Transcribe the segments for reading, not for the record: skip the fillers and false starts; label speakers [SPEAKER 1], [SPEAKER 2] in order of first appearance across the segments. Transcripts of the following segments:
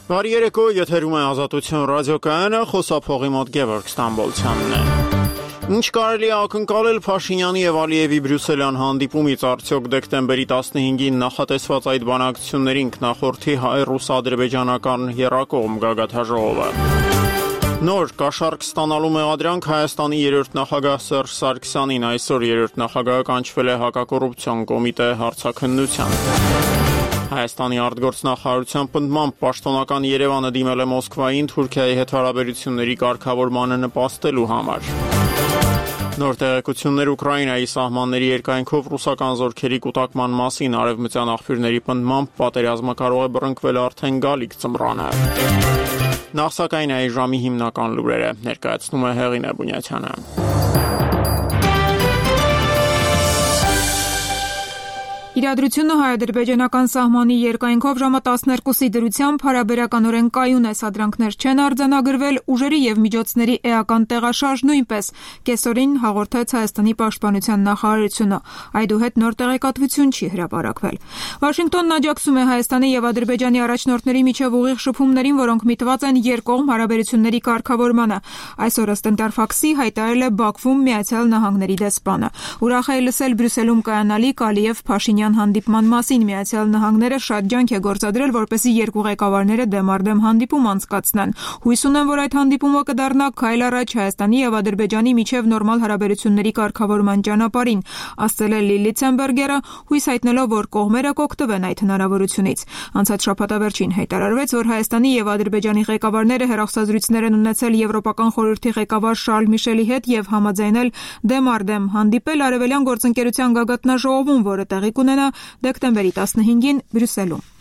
[SPEAKER 1] Բարի երեկո, եթերում է Ազատություն ռադիոկայանը, խոսափողի մոտ Գևորգ Ստամբոլցյանն է։ Ինչ կարելի է ակնկալել Փաշինյանի եւ Ալիևի Բրյուսելյան հանդիպումից, արդյոք դեկտեմբերի 15-ին նախատեսված այդ բանակցություններին կնախորդի հայ-ռուս-ադրբեջանական եռակողմ գագաթաժողովը։ Նոր կաշառք ստանալու մեղադրանք Հայաստանի երրորդ նախագահ Սերժ Սարգսյանին, այսօր երրորդ նախագահը կանչվել է հակակոռուպցիոն կոմիտե հարցաքննության։ Հայաստանի արտգործնախարարության պնդմամբ պաշտոնական Երևանը դիմել է Մոսկվային Թուրքիայի հետ հարաբերությունների կարգավորմանը նպաստելու համար։ Նոր տեղեկություններ Ուկրաինայի սահմանների երկայնքով ռուսական զորքերի կուտակման մասին, արևմտյան աղբյուրների պնդմամբ պատերազմը կարող է բռնկվել արդեն գալիք ձմռանը։ Նախ սակայն այս ժամի հիմնական լուրերը ներկայացնում է Հեղինե Բունյաթյանը։
[SPEAKER 2] Իրադրությունը հայ-ադրբեջանական սահմանի երկայնքով ժամը 12-ի դրությամբ հարաբերականորեն կայուն է, սադրանքներ չեն արձանագրվել, ուժերի եւ միջոցների էական տեղաշարժ նույնպես, կեսօրին հաղորդեց Հայաստանի պաշտպանության նախարարությունը, այդուհետ նոր տեղեկատվություն չի հրապարակվել։ Վաշինգտոնն աջակցում է Հայաստանի եւ Ադրբեջանի առաջնորդների միջև ուղիղ շփումներին, որոնք միտված են երկկողմ հարաբերությունների կարգավորմանը։ Այսօր ըստ Ինտերֆաքսի հայտարարել է Բաքվում Միացյալ Նահանգների դեսպանը։ Ուրախ է լսել Բրյուսելում կայանալիք Ալիև-Փաշինյան հանդիպման մասին Միացյալ Նահանգները շատ ջանք է գործադրել, որպեսզի երկու ղեկավարները դեմ առ դեմ հանդիպում անցկացնեն։ Հույս ունեն, որ այդ հանդիպումը կդառնա քայլ առաջ Հայաստանի եւ Ադրբեջանի միջև նորմալ հարաբերությունների կարգավորման ճանապարհին, ասել է Լիլի Ցեմբերգերը, հույս հայտնելով, որ կողմերը կօգտվեն այդ հնարավորությունից։ Անցած շաբաթավերջին հայտարարվեց, որ Հայաստանի եւ Ադրբեջանի ղեկավարները հեռախոսազրույցներ են ունեցել Եվրոպական խորհրդի ղեկավար Շարլ Միշելի հետ եւ համաձայնել դեմ առ դեմ հանդիպել Արևելյան գործընկերության գագաթնաժողովում, որը տեղի կունենա դեկտեմբերի 15-ին Բրյուսելում։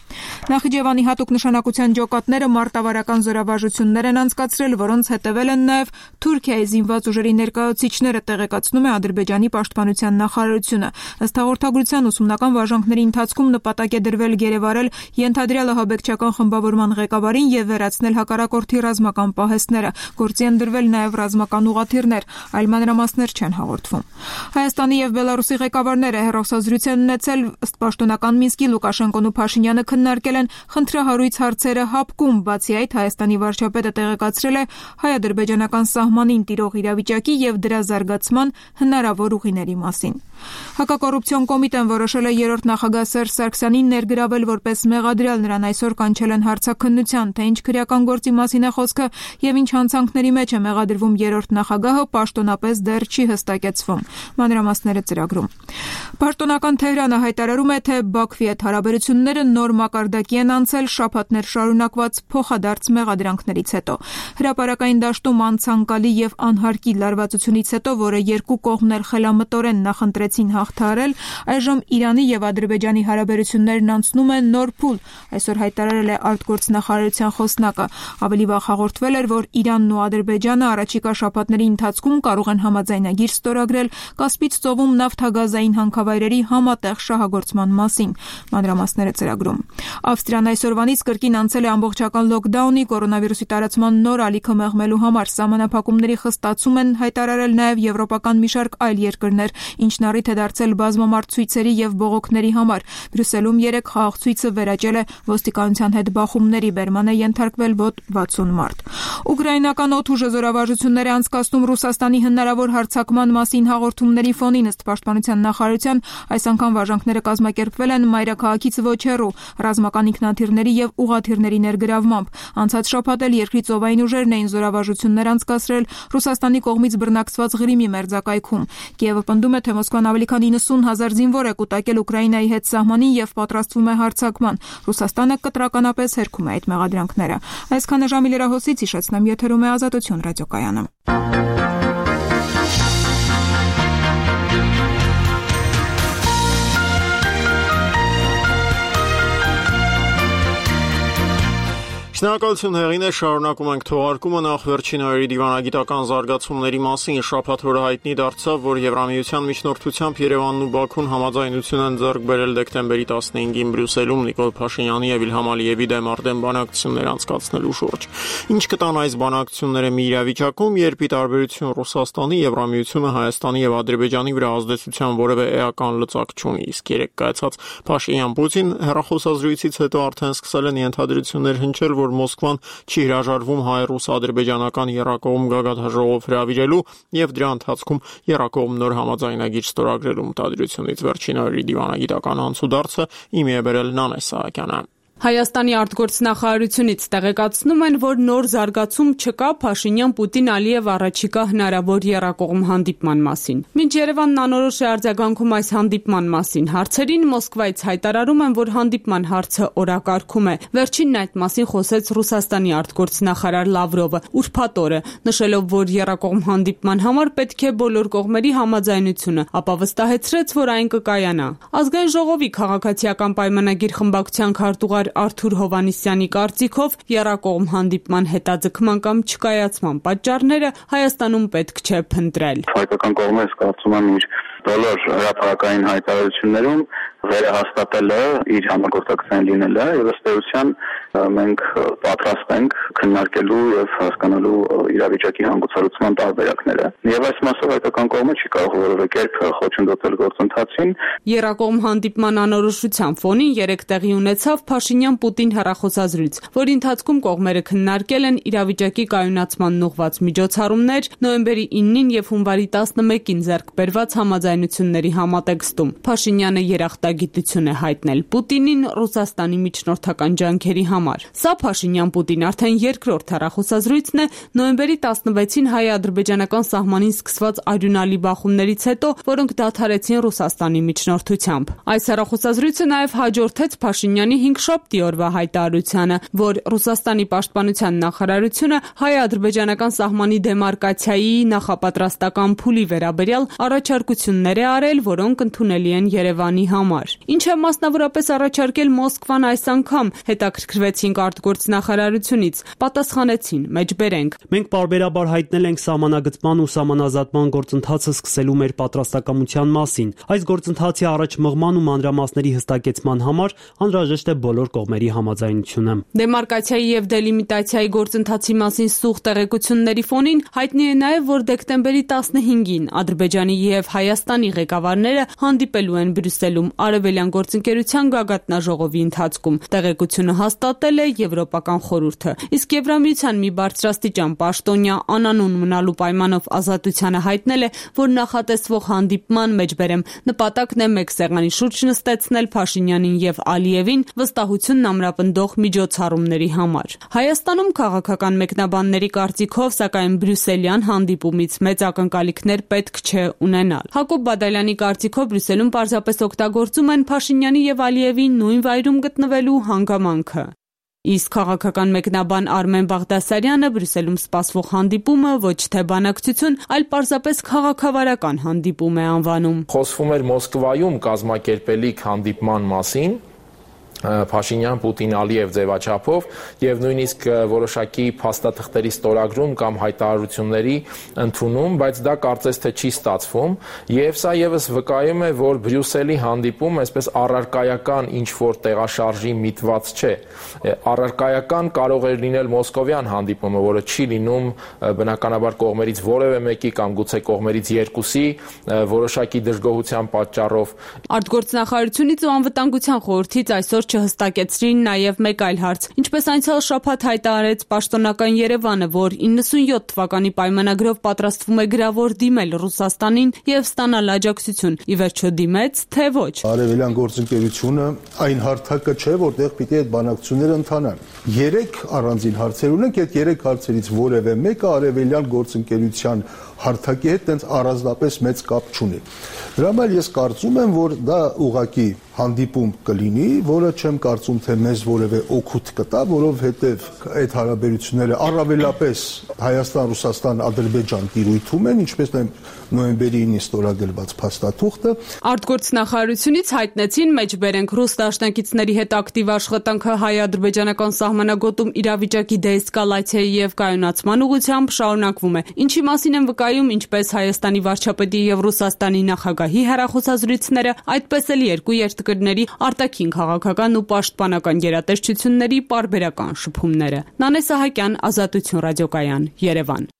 [SPEAKER 2] Նախիջևանի հատուկ նշանակության ջոկատները մարտավարական զորավարժություններ են անցկացրել, որոնց հետևել են նաև Թուրքիայի զինված ուժերի ներկայացուցիչները, տեղեկացնում է Ադրբեջանի պաշտպանության նախարարությունը։ Ըստ հաղորդագրության ուսումնական վարժանքների ընթացքում նպատակ է դրվել գերեվարել ենթադրյալ ահաբեկչական խմբավորման ղեկավարին եւ վերացնել հակառակորդի ռազմական պահեստները։ Գործի են դրվել նաև ռազմական ուղղաթիռներ, այլ մանրամասներ չեն հաղորդվում։ Հայաստանի եւ Բելարուսի ղեկավարները հեռախոսազրույց են ունեցել, ըստ պաշտոնական Մինսկի Լուկաշենկոն ու Փաշինյանը քննարկել են խնդրահարույց հարցերը հապկում, բացի այդ Հայաստանի վարչապետը տեղեկացրել է հայ-ադրբեջանական սահմանին տիրող իրավիճակի եւ դրա զարգացման հնարավոր ուղիների մասին։ Հակակոռուպցիոն կոմիտեն որոշել է երրորդ նախագահ Սերժ Սարգսյանին ներգրավել որպես մեղադրյալ, նրան այսօր կանչել են հարցաքննության, թե ինչ քրեական գործի մասին է խոսքը եւ ինչ հանցանքների մեջ է մեղադրվում երրորդ նախագահը, պաշտոնապես դեռ չի հստակեցվում։ Մանրամասները ծրագրում։ Պաշտոնական Թեհրանը հայտարարում է, թե Բաքվի հետ հարաբերությունները նոր մակարդակի են անցել շաբաթներ շարունակված փոխադարձ մեղադրանքներից հետո։ Հրապարակային դաշտում անցանկալի եւ անհարկի լարվածությունից հետո, որը երկու կողմն էլ խելամտորեն նախընտրեցին հաղթահարել, այժմ Իրանի եւ Ադրբեջանի հարաբերություններն անցնում են նոր փուլ, այսօր հայտարարել է արտգործնախարարության խոսնակը։ Ավելի վաղ հաղորդվել էր, որ Իրանն ու Ադրբեջանը առաջիկա շաբաթների ընթացքում կարող են համաձայնագիր ստորագրել Կասպից ծովում նավթագազային հանքավայրերի համատեղ շահագործման մասին։ Մանրամասները ծրագրում։ Ավստրիան այսօրվանից կրկին անցել է ամբողջական լոկդաունի, կորոնավիրուսի տարածման նոր ալիքը մեղմելու համար սահմանափակումների խստացում են հայտարարել նաև եվրոպական մի շարք այլ երկրներ, ինչն առիթ է դարձել բազմամարդ ցույցերի եւ բողոքների համար։ Բրյուսելում 3 խաղաղ ցույցը վերաճել է ոստիկանության հետ բախումների, բերման է ենթարկվել մոտ 60 մարդ։ Ուկրաինական օդուժը զորավարժություններ է անցկացնում Ռուսաստանի հնարավոր հարձակման մասին հաղորդումների ֆոնին, ըստ պաշտպանության նախարարության, այս անգամ վարժանքները կազմակերպվել են մայրաքաղաքից ոչ հեռու, ռազմական ինքնաթիռների եւ ուղղաթիռների ներգրավմամբ։ Անցած շաբաթ էլ երկրի ծովային ուժերն էին զորավարժություններ անցկացրել Ռուսաստանի կողմից բռնակցված Ղրիմի մերձակայքում։ Կիևը պնդում է, թե Մոսկվան ավելի քան 90,000 զինվոր է կուտակել Ուկրաինայի հետ սահմանին եւ պատրաստվում է հարձակման։ Ռուսաստանը կտրականապես հերքում է այդ մեղադրանքները։ Այսքանը ժամի լրահոսից հիշեցնեմ, եթերում է Ազատություն ռադիոկայանը։
[SPEAKER 1] Շնորհակալություն Հեղինե, շարունակում ենք թողարկումը նախ վերջին օրերի դիվանագիտական զարգացումների մասին։ Շաբաթ օրը հայտնի դարձավ, որ Եվրամիության միջնորդությամբ Երևանն ու Բաքուն համաձայնություն են ձեռք բերել դեկտեմբերի 15-ին Բրյուսելում Նիկոլ Փաշինյանի եւ Իլհամ Ալիևի դեմ առ դեմ բանակցություններ անցկացնելու շուրջ։ Ինչ կտան այս բանակցությունները մի իրավիճակում, երբ ի տարբերություն Ռուսաստանի, Եվրամիությունը Հայաստանի եւ Ադրբեջանի վրա ազդեցության որևէ էական լծակ չունի, իսկ երեք կայացած Փաշինյան-Պուտին հեռախոսազրույցից հետո արդեն սկսել են ենթադրություններ հնչել, որ որ Մոսկվան չի հրաժարվում հայ-ռուս-ադրբեջանական եռակողմ գագաթնաժողով հրավիրելու եւ դրա ընթացքում եռակողմ նոր համաձայնագիր ստորագրելու մտադրությունից։ Վերջին օրերի դիվանագիտական անցուդարձը իմի է բերել Նանե Սահակյանը։
[SPEAKER 3] Հայաստանի արտգործնախարարությունից տեղեկացնում են, որ նոր զարգացում չկա Փաշինյան-Պուտին-Ալիև առաջիկա հնարավոր եռակողմ հանդիպման մասին։ Մինչ Երևանն անորոշ է արձագանքում այս հանդիպման մասին հարցերին, Մոսկվայից հայտարարում են, որ հանդիպման հարցը օրակարգում է։ Վերջինն այդ մասին խոսեց Ռուսաստանի արտգործնախարար Լավրովը ուրբաթ օրը, նշելով, որ եռակողմ հանդիպման համար պետք է բոլոր կողմերի համաձայնությունը, ապա վստահեցրեց, որ այն կկայանա։ Ազգային ժողովի քաղաքացիական պայմանագիր խմբակցության քարտուղար Արթուր Հովանիսյանի կարծիքով եռակողմ հանդիպման հետաձգման կամ չկայացման պատճառները Հայաստանում պետք չէ փնտրել։
[SPEAKER 4] Հայկական կողմը կարծում եմ իր բոլոր հրապարակային հայտարարություններում վերահաստատել է իր համագործակցային լինելը եւ ըստ էության մենք պատրաստ ենք քննարկելու եւ հասկանալու իրավիճակի հանգուցալուծման տարբերակները։ Եվ այս մասով հայկական կողմը չի կարող որևէ կերպ խոչընդոտել գործընթացին։
[SPEAKER 3] Եռակողմ հանդիպման անորոշության ֆոնին երեք տեղի ունեցավ Փաշինյան-Պուտին հեռախոսազրույց, որի ընթացքում կողմերը քննարկել են իրավիճակի կայունացմանն ուղղված միջոցառումներ նոյեմբերի 9-ին եւ հունվարի 11-ին ձեռք բերված համաձայնությունների համատեքստում։ Փաշինյանը երախտագիտություն է հայտնել Պուտինին Ռուսաստանի միջնորդական ջանքերի համար։ Սա Փաշինյան-Պուտին արդեն երկրորդ հեռախոսազրույցն է նոյեմբերի 16-ին հայ-ադրբեջանական սահմանին սկսված արյունալի բախումներից հետո, որոնք դադարեցին Ռուսաստանի միջնորդությամբ։ Այս հեռախոսազրույցը նաև հաջորդեց Փաշինյանի 5-շաբթի օրվա հայտարարությանը, որ Ռուսաստանի պաշտպանության նախարարությունը հայ-ադրբեջանական սահմանի դեմարկացիայի նախապատրաստական փուլի վերաբերյալ առաջարկություններ է արել, որոնք ընդունելի են Երևանի համար։ Ինչ է մասնավորապես առաջարկել Մոսկվան այս անգամ, հետաքրքրվեցինք արտգործնախարարությունից, պատասխանեցին՝ մեջբերենք։
[SPEAKER 5] Մենք պարբերաբար հայտնել ենք սահմանագծման ու սահմանազատման գործընթացը սկսելու մեր պատրաստակամության մասին։ Այս գործընթացի առաջ մղման ու մանրամասների հստակեցման համար անհրաժեշտ է բոլոր կողմերի համաձայնությունը։
[SPEAKER 3] Դեմարկացիայի եւ դելիմիտացիայի գործընթացի մասին սուղ տեղեկությունների ֆոնին հայտնի է նաեւ, որ դեկտեմբերի 15-ին Ադրբեջանի եւ Հայաստանի ղեկավարները հանդիպելու են Բրյուսելում Արևելյան գործընկերության գագաթնաժողովի ընթացքում։ Տեղեկությունը հաստատել է Եվրոպական խորհուրդը։ Իսկ Եվրամիության մի բարձրաստիճան պաշտոնյա անանուն մնալու պայմանով Ազատությանը հայտնել է, որ նախատեսվող հանդիպման մեջբերեմ նպատակն է մեկ սեղանի շուրջ նստեցնել Փաշինյանին եւ Ալիևին վստահությունն ամրապնդող միջոցառումների համար։ Հայաստանում քաղաքական մեկնաբանների կարծիքով, սակայն Բրյուսելյան հանդիպումից մեծ ակնկալիքներ պետք չէ ունենալ։ Հակոբ Բադալյանի կարծիքով Բրյուսելում պարզապես օգտագործում են Փաշինյանի եւ Ալիևի նույն վայրում գտնվելու հանգամանքը։ Իսկ քաղաքական մեկնաբան Արմեն Բաղդասարյանը Բրյուսելում սպասվող հանդիպումը ոչ թե բանակցություն, այլ պարզապես քաղաքավարական հանդիպում է անվանում։
[SPEAKER 6] Խոսվում էր Մոսկվայում կազմակերպելիք հանդիպման մասին Փաշինյան-Պուտին-Ալիև ձևաչափով եւ նույնիսկ որոշակի փաստաթղթերի ստորագրում կամ հայտարարությունների ընդունում, բայց դա կարծես թե չի ստացվում եւ սա եւս վկայում է, որ Բրյուսելի հանդիպում այսպես առարկայական ինչ որ տեղաշարժի միտված չէ։ Առարկայական կարող է լինել մոսկովյան հանդիպումը, որը չի լինում բնականաբար կողմերից որևէ մեկի կամ գուցե կողմերից երկուսի որոշակի դժգոհության պատճառով։
[SPEAKER 3] Արտգործնախարարությունից ու անվտանգության խորհրդից այսօր չհստակեցրին նաև մեկ այլ հարց։ Ինչպես անցյալ շաբաթ հայտարարեց պաշտոնական Երևանը, որ 97 թվականի պայմանագրով պատրաստվում է գրավոր դիմել Ռուսաստանին եւ ստանալ աջակցություն։ Ի վերջո դիմեց, թե ոչ։
[SPEAKER 7] Արևելյան գործընկերությունը այն հարթակը չէ, որտեղ պիտի այդ բանակցությունները ընթանան։ 3 առանձին հարցեր ունենք, այդ 3 հարցերից որևէ մեկը արևելյան գործընկերության հարթակի հետ տենց առանձնապես մեծ կապ չունի։ Դրա համար ես կարծում եմ, որ դա ուղղակի հանդիպում կլինի, որը չեմ կարծում, թե մեզ որևէ օգուտ կտա, որովհետև այդ հարաբերությունները առավելապես Հայաստան-Ռուսաստան-Ադրբեջան տիրույթում են, ինչպես նոյեմբերի 9-ին ստորագրված փաստաթուղթը։
[SPEAKER 3] Արտգործնախարարությունից հայտնեցին մեջբերենք ռուս դաշնակիցների հետ ակտիվ աշխատանքը հայ-ադրբեջանական սահմանագոտում իրավիճակի դեէսկալացիայի եւ կայունացման ուղղությամբ շարունակվում է։ Ինչի մասին են վկայում ինչպես Հայաստանի վարչապետի եւ Ռուսաստանի նախագահի հեռախոսազրույցները, այդպես էլ երկու երկրների արտաքին քաղաքական ու պաշտպանական գերատեսչությունների պարբերական շփումները։ Նանե Սահակյան, Ազատություն ռադիոկայան, Երևան։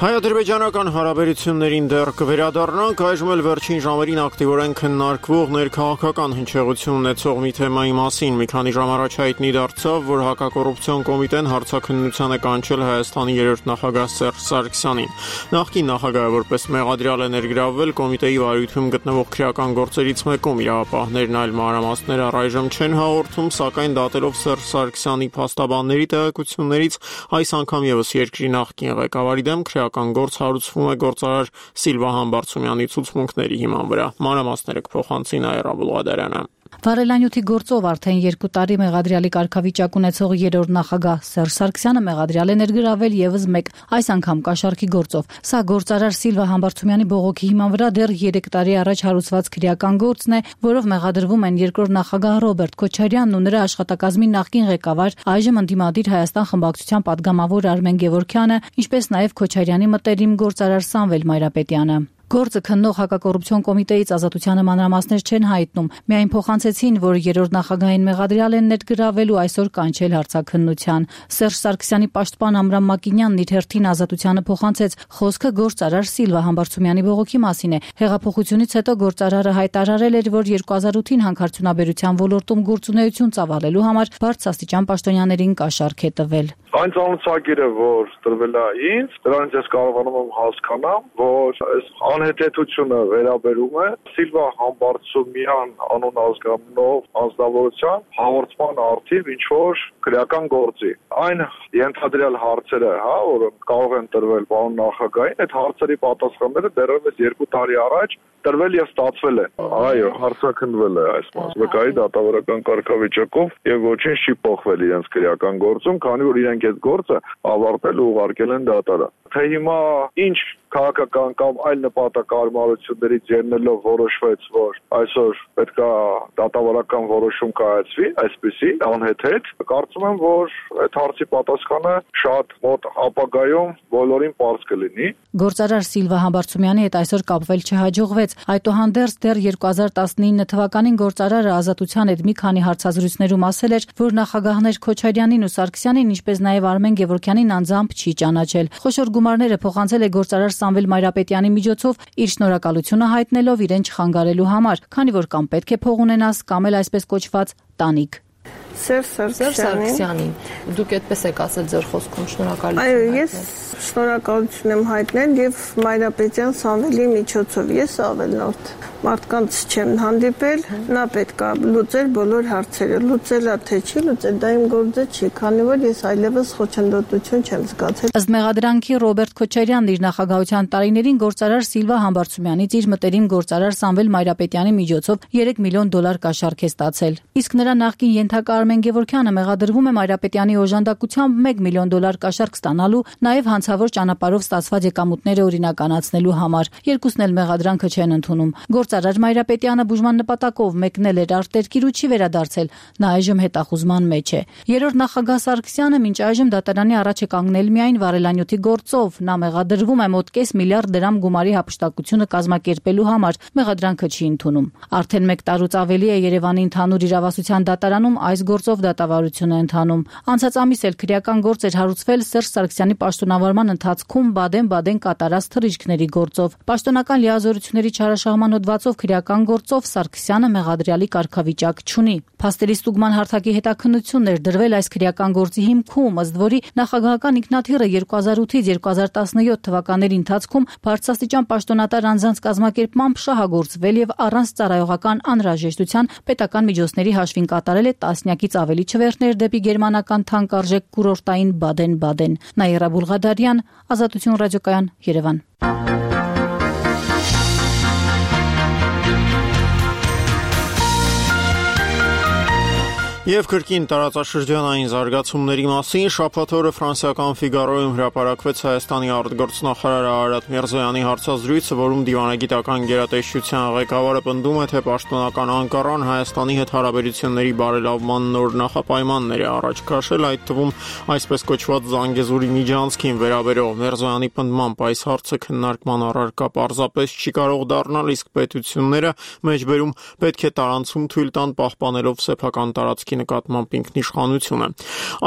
[SPEAKER 1] Հայ-ադրբեջանական հարաբերություններին դեռ կվերադառնանք, այժմ էլ վերջին ժամերին ակտիվորեն քննարկվող ներքաղաքական հնչեղություն ունեցող մի թեմայի մասին։ Մի քանի ժամ առաջ հայտնի դարձավ, որ հակակոռուպցիոն կոմիտեն հարցաքննության է կանչել Հայաստանի երրորդ նախագահ Սերժ Սարգսյանին։ Նախկին նախագահը որպես մեղադրյալ է ներգրավվել կոմիտեի վարույթում գտնվող քրեական գործերից մեկում։ Իրավապահներն այլ մանրամասներ առայժմ չեն հաղորդում, սակայն դատելով Սերժ Սարգսյանի փաստաբանների տեղեկություններից այս անգամ եւս երկրի նախկին ղեկավարի դեմ գործ հարուցվում է գործարար Սիլվա Համբարձումյանի ցուցմունքների հիման վրա։ Մանրամասները կփոխանցի Նաիրա Բուլղադարյանը։
[SPEAKER 8] Վարելանյութի գործով արդեն 2 տարի մեղադրյալի կարգավիճակ ունեցող երրորդ նախագահ Սերժ Սարգսյանը մեղադրյալ է ներգրավել եւս մեկ, այս անգամ կաշառքի գործով։ Սա գործարար Սիլվա Համբարձումյանի բողոքի հիման վրա դեռ 3 տարի առաջ հարուցված քրեական գործն է, որով մեղադրվում են երկրորդ նախագահ Ռոբերտ Քոչարյանն ու նրա աշխատակազմի նախկին ղեկավար, այժմ ընդդիմադիր Հայաստան խմբակցության падգամավոր Արմեն Գևորգյանը, ինչպես նաեւ Քոչարյանի մտերիմ գործարար Սամվել Մայրապետյանը։ Գործը քննող հակակոռուպցիոն կոմիտեից Ազատությանը մանրամասներ չեն հայտնում, միայն փոխանցեցին, որ երրորդ նախագահային մեղադրյալ են ներգրավել ու այսօր կանչել հարցաքննության։ Սերժ Սարգսյանի պաշտպան Ամրամ Մակինյանն իր հերթին Ազատությանը փոխանցեց, խոսքը գործարար Սիլվա Համբարձումյանի բողոքի մասին է։ Հեղափոխությունից հետո գործարարը հայտարարել էր, որ 2008-ին հանքարդյունաբերության ոլորտում գործունեություն ծավալելու համար բարձրաստիճան պաշտոնյաներին կաշառք է տվել։
[SPEAKER 9] Այն ծանոթագիրը, որ տրվել է ինձ, դրանից ես կարողանում եմ հասկանամ, որ այս անհետեթությունը վերաբերում է Սիլվա Համբարձումյան անուն ազգանունով անձնավորության հաղորդման արդիվ ինչ-որ քրեական գործի։ Այն ենթադրյալ հարցերը, որը կարող են տրվել պարոն նախագահին, այդ հարցերի պատասխանները դեռևս 2 տարի առաջ տրվել եւ ստացվել է։ Այո, հարցաքննվել է այս մասնակցի դատավարական կարգավիճակով եւ ոչինչ չի փոխվել իրենց քրեական գործում, քանի որ իրենք այդ գործը ավարտել ու ուղարկել են դատարան։ Թե հիմա ինչ քաղաքական կամ այլ նպատակարարություններից ելնելով որոշվեց, որ այսօր պետքա դատավարական որոշում կայացվի, այսպեսի անհեթեթ, կարծում եմ, որ այդ հարցի պատասխանը շատ մոտ ապագայում բոլորին պարզ կլինի։
[SPEAKER 8] Գործարար Սիլվա Համբարձումյանի հետ այսօր կապվել չհաջողվեց, այդուհանդերձ դեռ 2019 թվականին գործարարը Ազատության հետ մի քանի հարցազրույցներում ասել էր, որ նախագահներ Քոչարյանին ու Սարգսյանին, ինչպես նաև Արմեն Գևորգյանին անձամբ չի ճանաչել։ Խոշոր գումարները փոխանցել է գործարար Սամվել Մայրապետյանի միջոցով իր շնորհակալությունը հայտնելով իրեն չխանգարելու համար, քանի որ կամ պետք է փող ունենաս, կամ էլ այսպես կոչված տանիք։
[SPEAKER 10] Սերժ Սարգսյանին դուք այդպես եք ասել ձեր խոսքում շնորհակալություն։ Այո, ես շնորհակալություն եմ հայտնել եւ Մայրապետյան Սամվելի միջոցով։ Ես ավելորդ մարդկանց չեմ հանդիպել, նա պետք է լուծել բոլոր հարցերը, լուծելա թե չի լուծել, դա իմ գործը չի, քանի որ ես այլևս խոչընդոտություն չեմ զգացել։
[SPEAKER 8] Ըստ մեղադրանքի Ռոբերտ Քոչարյանն իր նախագահության տարիներին գործարար Սիլվա Համբարձումյանից իր մտերիմ գործարար Սամվել Մայրապետյանի միջոցով $3 միլիոն կաշառք է ստացել։ Իսկ նրա նախկին ենթակա Արմեն Գևորգյանը մեղադրվում է Մայրապետյանի օժանդակությամբ $1 միլիոն կաշառք ստանալու, նաև հանցավոր ճանապարհով ստացված եկամուտները օրինականացնելու համար։ Երկուսն էլ մեղադրանքը չեն ընդունում։ Գործարար Մայրապետյանը բուժման նպատակով մեկնել էր արտերկիր ու չի վերադարձել, նա այժմ հետախուզման մեջ է։ Երրորդ նախագահ Սարգսյանը մինչ այժմ դատարանի առաջ է կանգնել միայն վարելանյութի գործով, նա մեղադրվում է մոտ $0.5 միլիարդ գումարի հափշտակությունը կազմակերպելու համար, մեղադրանքը չի ընդունում։ Արդեն 1 տարուց ավելի է Երևանի ընդհանուր իրավասության դատարանում այս գործով դատավարություն է ընթանում։ Անցած ամիս էլ քրեական գործ էր հարուցվել Սերժ Սարգսյանի պաշտոնավարման ընթացքում Բադեն-Բադեն կատարած թռիչքների գործով։ Պաշտոնական լիազորությունների չարաշահման հոդվածով քրեական գործով Սարգսյանը մեղադրյալի կարգավիճակ չունի։ Փաստերի ստուգման հարթակի հետաքննությունն էր դրվել այս քրեական գործի հիմքում, ըստ որի նախագահական ինքնաթիռը 2008-ից 2017 թվականների ընթացքում բարձրաստիճան պաշտոնատար անձանց կազմակերպմամբ շահագործվել եւ առանց ծառայողական անհրաժեշտության պետական միջոցների հաշվին կատարել է տասնյակից ավելի չվերթներ դեպի գերմանական թանկարժեք կուրորտային Բադեն-Բադեն։ Նաիրա Բուլղադարյան, Ազատություն ռադիոկայան, Երևան։
[SPEAKER 1] Եվ կրկին տարածաշրջանային զարգացումների մասին շաբաթ օրը ֆրանսիական Ֆիգարոյում հրապարակվեց Հայաստանի արտգործնախարար Արարատ Միրզոյանի հարցազրույցը, որում դիվանագիտական գերատեսչության ղեկավարը պնդում է, թե պաշտոնական Անկարան Հայաստանի հետ հարաբերությունների բարելավման նոր նախապայմաններ է առաջ քաշել, այդ թվում այսպես կոչված Զանգեզուրի միջանցքին վերաբերող Միրզոյանի պնդմամբ այս հարցը քննարկման առարկա պարզապես չի կարող դառնալ, իսկ պետությունները մեջբերում պետք է տարանցում թույլ տան պահպանելով սեփական տարածքի տարածքի նկատմամբ ինքնիշխանությունը։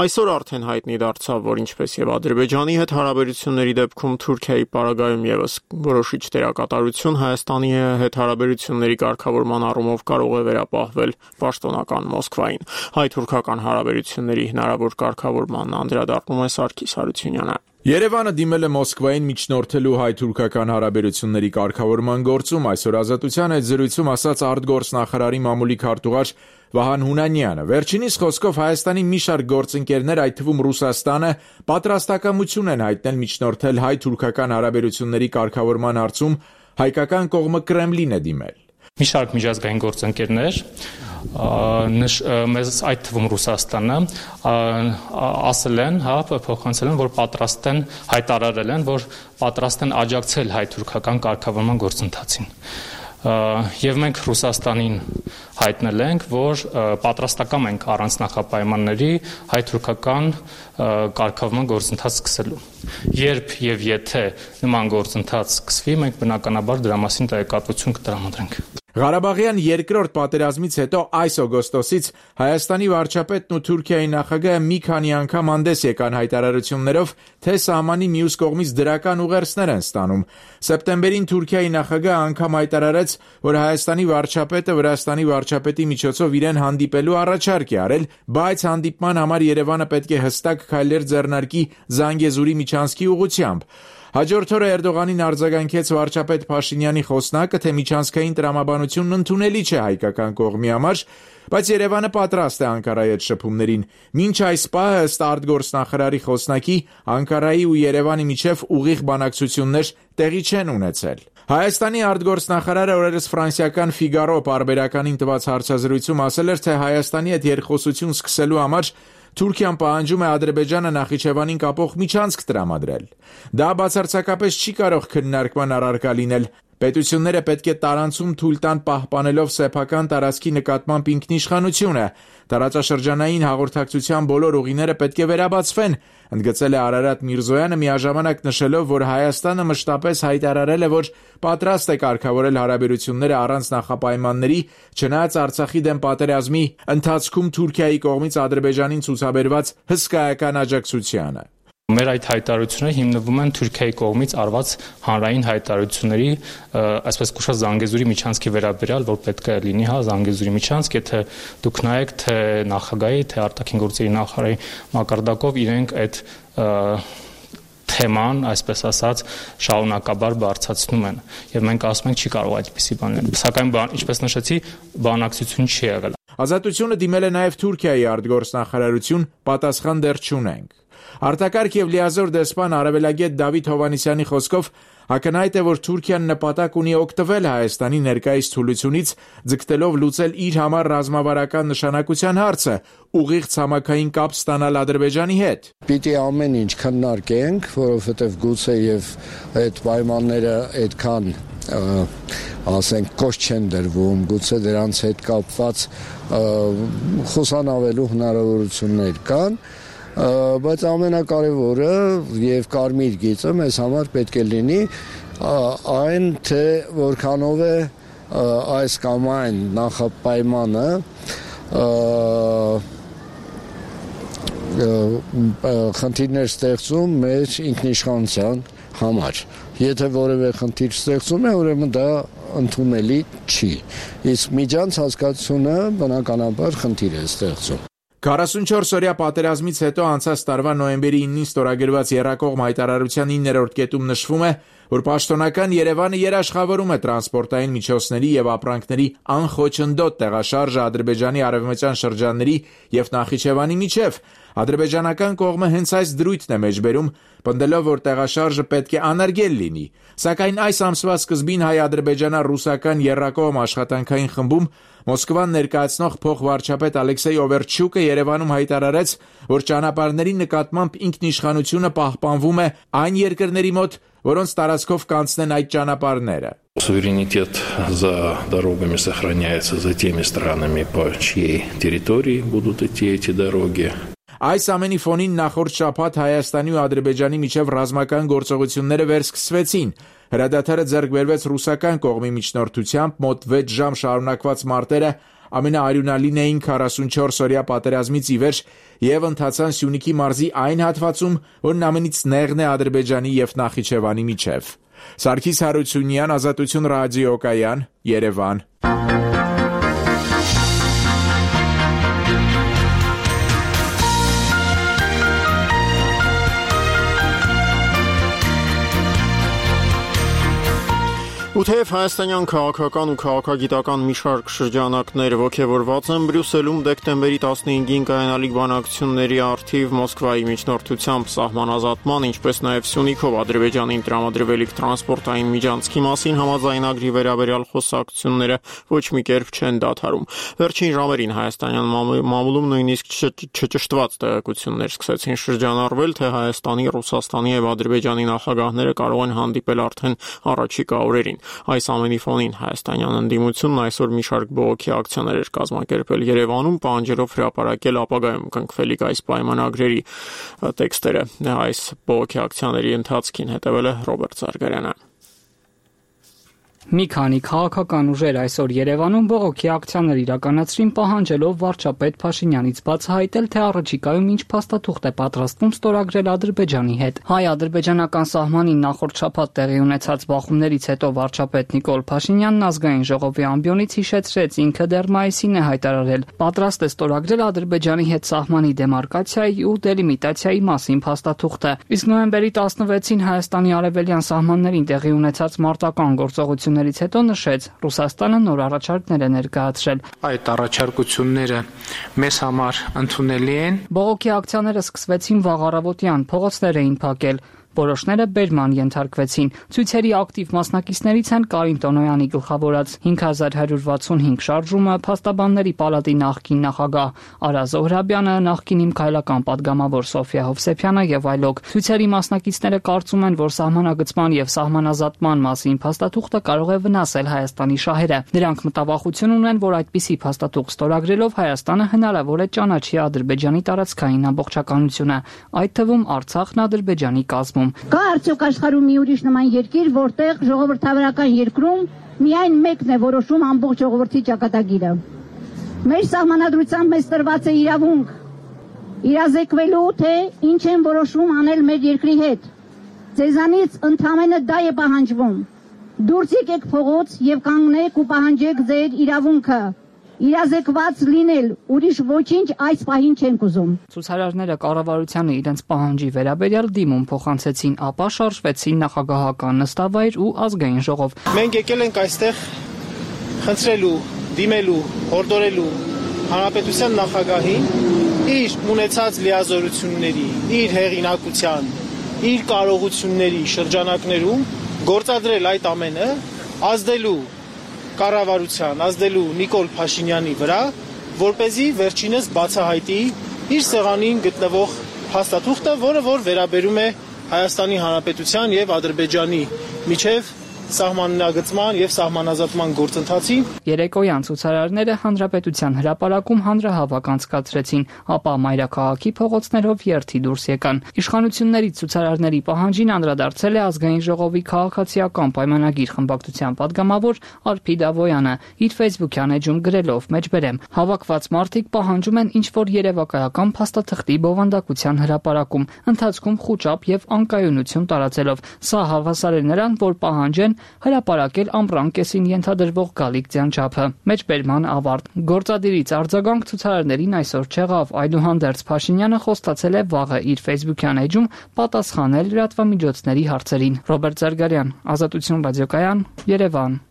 [SPEAKER 1] Այսօր արդեն հայտնի դարձավ, որ ինչպես եւ Ադրբեջանի հետ հարաբերությունների դեպքում Թուրքիայի պարագայում եւս որոշիչ դերակատարություն Հայաստանի հետ հարաբերությունների կարգավորման առումով կարող է վերապահվել պաշտոնական Մոսկվային։ Հայ-թուրքական հարաբերությունների հնարավոր կարգավորման անդրադառնում է Սարգիս Հարությունյանը։
[SPEAKER 6] Երևանը դիմել է Մոսկվային միջնորդելու հայ-թուրքական հարաբերությունների կարգավորման գործում, այսօր Ազատության հետ զրույցում ասաց արտգործնախարարի մամուլի քարտուղար Վահան Հունանյանը։ Վերջինիս խոսքով Հայաստանի մի շարք գործընկերներ, այդ թվում Ռուսաստանը, պատրաստակամություն են հայտնել միջնորդել հայ-թուրքական հարաբերությունների կարգավորման հարցում, հայկական կողմը Կրեմլին է դիմել։
[SPEAKER 11] Մի շարք միջազգային գործընկերներ մեզ այդ թվում Ռուսաստանը ասել են, փոխանցել են, որ պատրաստ են, հայտարարել են, որ պատրաստ են աջակցել հայ-թուրքական կարգավորման գործընթացին։ Եվ մենք Ռուսաստանին հայտնել ենք, որ պատրաստակամ ենք առանց նախապայմանների հայ-թուրքական կարգավորման գործընթաց սկսելու։ Երբ եւ եթե նման գործընթաց սկսվի, մենք բնականաբար դրա մասին տեղեկատվություն կտրամադրենք։
[SPEAKER 6] Ղարաբաղյան երկրորդ պատերազմից հետո այս օգոստոսից Հայաստանի վարչապետն ու Թուրքիայի նախագահը մի քանի անգամ հանդես եկան հայտարարություններով, թե սահմանի մյուս կողմից դրական ուղերձներ են ստանում։ Սեպտեմբերին Թուրքիայի նախագահը անգամ հայտարարեց, որ Հայաստանի վարչապետը Վրաստանի վարչապետի միջոցով իրեն հանդիպելու առաջարկ է արել, բայց հանդիպման համար Երևանը պետք է հստակ քայլեր ձեռնարկի Զանգեզուրի միջանցքի ուղղությամբ։ Հաջորդ օրը Էրդողանին արձագանքեց վարչապետ Փաշինյանի խոսնակը, թե միջանցքային տրամաբանությունն ընդունելի չէ հայկական կողմի համար, բայց Երևանը պատրաստ է Անկարայի հետ շփումներին։ Մինչ այս պահը ըստ արտգործնախարարի խոսնակի Անկարայի ու Երևանի միջև ուղիղ բանակցություններ տեղի չեն ունեցել։ Հայաստանի արտգործնախարարը օրերս ֆրանսիական Ֆիգարո պարբերականին տված հարցազրույցում ասել էր, թե Հայաստանի հետ երկխոսություն սկսելու համար Թուրքիան պահանջում է Ադրբեջանը Նախիջևանին կապող միջանցք տրամադրել։ Դա բացարձակապես չի կարող քննարկման առարկա լինել։ Պետությունները պետք է տարանցում թույլ տան պահպանելով սեփական տարածքի նկատմամբ ինքնիշխանությունը։ Տարածաշրջանային հաղորդակցության բոլոր ուղիները պետք է վերաբացվեն, ընդգծել է Արարատ Միրզոյանը, միաժամանակ նշելով, որ Հայաստանը մշտապես հայտարարել է, որ պատրաստ է կարգավորել հարաբերությունները առանց նախապայմանների, չնայած Արցախի դեմ պատերազմի ընթացքում Թուրքիայի կողմից Ադրբեջանին ցուցաբերված հսկայական աջակցությանը։
[SPEAKER 11] Մեր այդ հայտարարությունները հիմնվում են Թուրքիայի կողմից արված հանրային հայտարարությունների, այսպես կոչված Զանգեզուրի միջանցքի վերաբերյալ, որ պետք է լինի, Զանգեզուրի միջանցք, եթե դուք նայեք, թե նախագահի, թե արտաքին գործերի նախարարի մակարդակով իրենք այդ թեման, այսպես ասած, շարունակաբար բարձրացնում են, եւ մենք ասում ենք չի կարող այդպիսի բան լինել։ Սակայն ինչպես նշեցի, բանակցություն չի եղել։
[SPEAKER 6] Ազատությունը դիմել է նաեւ Թուրքիայի արտգործնախարարություն, պատասխան դեռ չունենք։ Արտակարգ եւ լիազոր դեսպան Արևելագետ Դավիթ Հովհաննիսյանի խոսքով ակնհայտ է, որ Թուրքիան նպատակ ունի օգտվել Հայաստանի ներկայիս թուլությունից, ձգտելով լուծել իր համար ռազմավարական նշանակության հարցը, ուղիղ ցամաքային կապ ստանալ Ադրբեջանի հետ։
[SPEAKER 12] Պիտի ամեն ինչ քննարկենք, որովհետեւ գուցե եւ այդ պայմանները այդքան ասենք կոշտ չեն դրվում, գուցե դրանց հետ կապված խոսանավելու հնարավորություններ կան, բայց ամենակարևորը եւ կարմիր գիծը մեզ համար պետք է լինի այն, թե որքանով է այս կամ այն նախապայմանը խնդիրներ ստեղծում մեր ինքնիշխանության համար։ Եթե որևէ խնդիր ստեղծում է, ուրեմն դա ընդունելի չի։ Իսկ միջանց հասկացությունը բնականաբար խնդիր է ստեղծում։
[SPEAKER 6] 44-օրյա պատերազմից հետո անցած տարվա նոյեմբերի 9-ին ստորագրված Եռակողմ հայտարարության 9-րդ կետում նշվում է, որ պաշտոնական Երևանը երաշխավորում է տրանսպորտային միջոցների եւ ապրանքների անխոչնդոտ տեղաշարժը Ադրբեջանի արևմտյան շրջանների եւ Նախիջևանի միջև։ Ադրբեջանական կողմը հենց այս դրույթն է մեջբերում, պնդելով, որ տեղաշարժը պետք է անարգել լինի։ Սակայն այս ամսվա սկզբին հայ-ադրբեջանա-ռուսական եռակողմ աշխատանքային խմբում Մոսկվան ներկայացնող փոխվարչապետ Ալեքսեյ Օվերչյուկը Երևանում հայտարարեց, որ ճանապարհների նկատմամբ ինքնիշխանությունը պահպանվում է այն երկրների մոտ, որոնց տարածքով կանցնեն այդ ճանապարհները։
[SPEAKER 13] Суверенитет за дорогами сохраняется за теми странами, по чьей территории будут идти эти дороги.
[SPEAKER 6] Այս ամենի ֆոնին նախորդ շաբաթ Հայաստանի ու Ադրբեջանի միջև ռազմական գործողությունները վերսկսվեցին։ Հրադադարը ձեռք բերվեց ռուսական կողմի միջնորդությամբ, մոտ 6 ժամ շարունակված մարտերը
[SPEAKER 14] ամենաարյունալին էին 44-օրյա պատերազմից ի վեր եւ ընթացան Սյունիքի մարզի այն հատվածում, որն ամենից նեղն է Ադրբեջանի եւ Նախիջևանի միջև։ Սարգիս Հարությունյան, Ազատություն ռադիոկայան, Երևան։
[SPEAKER 1] Ու թեև հայաստանյան քաղաքական ու քաղաքագիտական մի շարք շրջանակներ ոգևորված են Բրյուսելում դեկտեմբերի 15-ին կայանալիք բանակցությունների առթիվ Մոսկվայի միջնորդությամբ սահմանազատման, ինչպես նաև Սյունիքով Ադրբեջանին տրամադրվելիք տրանսպորտային միջանցքի մասին համաձայնագրի վերաբերյալ խոսակցությունները ոչ մի կերպ չեն դադարում։ Վերջին ժամերին հայաստանյան մամուլում նույնիսկ չճշտված տեղեկություններ սկսեցին շրջանառվել, թե Հայաստանի, Ռուսաստանի եւ Ադրբեջանի նախագահները կարող են հանդիպել արդեն առաջիկա օրերին։ Այս ամենի ֆոնին հայաստանյան ընդդիմությունն այսօր մի շարք բողոքի ակցիաներ էր կազմակերպել Երևանում, պահանջելով հրապարակել ապագայում կնքվելիք այս պայմանագրերի տեքստերը։ Այս բողոքի ակցիաների ընթացքին հետևել է Ռոբերտ Զարգարյանը։
[SPEAKER 15] Մի քանի քաղաքական ուժեր այսօր Երևանում բողոքի ակցիաներ իրականացրին, պահանջելով վարչապետ Փաշինյանից բացահայտել, թե առաջիկայում ինչ փաստաթուղթ է պատրաստվում ստորագրել Ադրբեջանի հետ։ Հայ-ադրբեջանական սահմանին նախորդ շաբաթ տեղի ունեցած բախումներից հետո վարչապետ Նիկոլ Փաշինյանն ազգային ժողովի ամբիոնից հիշեցրեց, ինքը դեռ մայիսին է հայտարարել պատրաստ է ստորագրել Ադրբեջանի հետ սահմանի դեմարկացիայի ու դելիմիտացիայի մասին փաստաթուղթը։ Իսկ նոյեմբերի 16-ին Հայաստանի արևելյան սահմաններին տեղի ունեցած մարտական գործողություններից հետո նշեց, Ռուսաստանը նոր առաջարկներ է ներկայացրել։
[SPEAKER 16] Այդ առաջարկությունները մեզ համար ընդունելի են։
[SPEAKER 15] Բողոքի ակցիաները սկսվեցին վաղ առավոտյան, փողոցներ էին փակել։ Որոշները բերման ենթարկվեցին։ Ցույցերի ակտիվ մասնակիցներից են Կարին Տոնոյանի գլխավորած 5165 շարժումը, Փաստաբանների պալատի նախկին նախագահ Արա Զոհրաբյանը, նախկին իմքայլական падգամավոր Սոֆիա Հովսեփյանը եւ այլոք։ Ցույցերի մասնակիցները կարծում են, որ սահմանագծման եւ սահմանազատման մասին փաստաթուղթը կարող է վնասել Հայաստանի շահերը։ Նրանք մտավախություն ունեն, որ այդպիսի փաստաթուղթ ստորագրելով Հայաստանը հնարավոր է ճանաչի Ադրբեջանի տարածքային ամբողջականությունը, այդ թվում Արցախն Ադրբեջանի կազմում։
[SPEAKER 17] Կա արդյոք աշխարհում մի ուրիշ նման երկիր, որտեղ ժողովրդավարական երկրում միայն մեկն է որոշում ամբողջ ժողովրդի ճակատագիրը։ Մեր սահմանադրությամբ մեզ տրված է իրավունք իրազեկվելու, թե ինչ են որոշում անել մեր երկրի հետ։ Ձեզանից ընդամենը դա է պահանջվում։ Դուրս եկեք փողոց եւ կանգնեք ու պահանջեք ձեր իրավունքը։ Իրազեկված լինել, ուրիշ ոչինչ այս պահին չենք ուզում։
[SPEAKER 15] Ցուցարարները կառավարությանը իրենց պահանջի վերաբերյալ դիմում փոխանցեցին, ապա շարժվեցին նախագահական նստավայր ու ազգային ժողով։
[SPEAKER 18] Մենք եկել ենք այստեղ խնդրելու, դիմելու, հորդորելու հանրապետության նախագահին իր ունեցած լիազորությունների, իր հեղինակության, իր կարողությունների շրջանակներում գործադրել այդ ամենը, ազդելու կառավարության, ազդելու Նիկոլ Փաշինյանի վրա, որպեսզի վերջինս բացահայտի իր սեղանին գտնվող փաստաթուղթը, որը որ վերաբերում է Հայաստանի Հանրապետության եւ Ադրբեջանի միջև սահմանագծման եւ սահմանազատման գործընթացին։
[SPEAKER 15] Երեկոյան ցուցարարները Հանրապետության հրապարակում հանրահավաք անցկացրեցին, ապա մայրաքաղաքի փողոցներով երթի դուրս եկան։ Իշխանությունների ցուցարարների պահանջին անդրադարձել է ազգային ժողովի քաղաքացիական պայմանագիր խմբակցության падգամավոր Արփիդ Ավոյանը, իր Facebook-յան էջում գրելով մեջբերեմ. հավաքված մարդիկ պահանջում են ինչ-որ երևակայական փաստաթղթի բովանդակության հրապարակում, ընթացքում խուճապ եւ անկայունություն տարածելով։ Սա հավասար է նրան, որ պահանջեն հրապարակել ամռան կեսին ենթադրվող գալիք ձյանչափը։ Մեջբերման ավարտ։ Գործադիրից արձագանք ցուցարարներին այսօր չեղավ, այդուհանդերձ Փաշինյանը խոստացել է վաղը իր Facebook-յան էջում պատասխանել լրատվամիջոցների հարցերին։ Ռոբերտ Զարգարյան, Ազատություն ռադիոկայան, Երևան։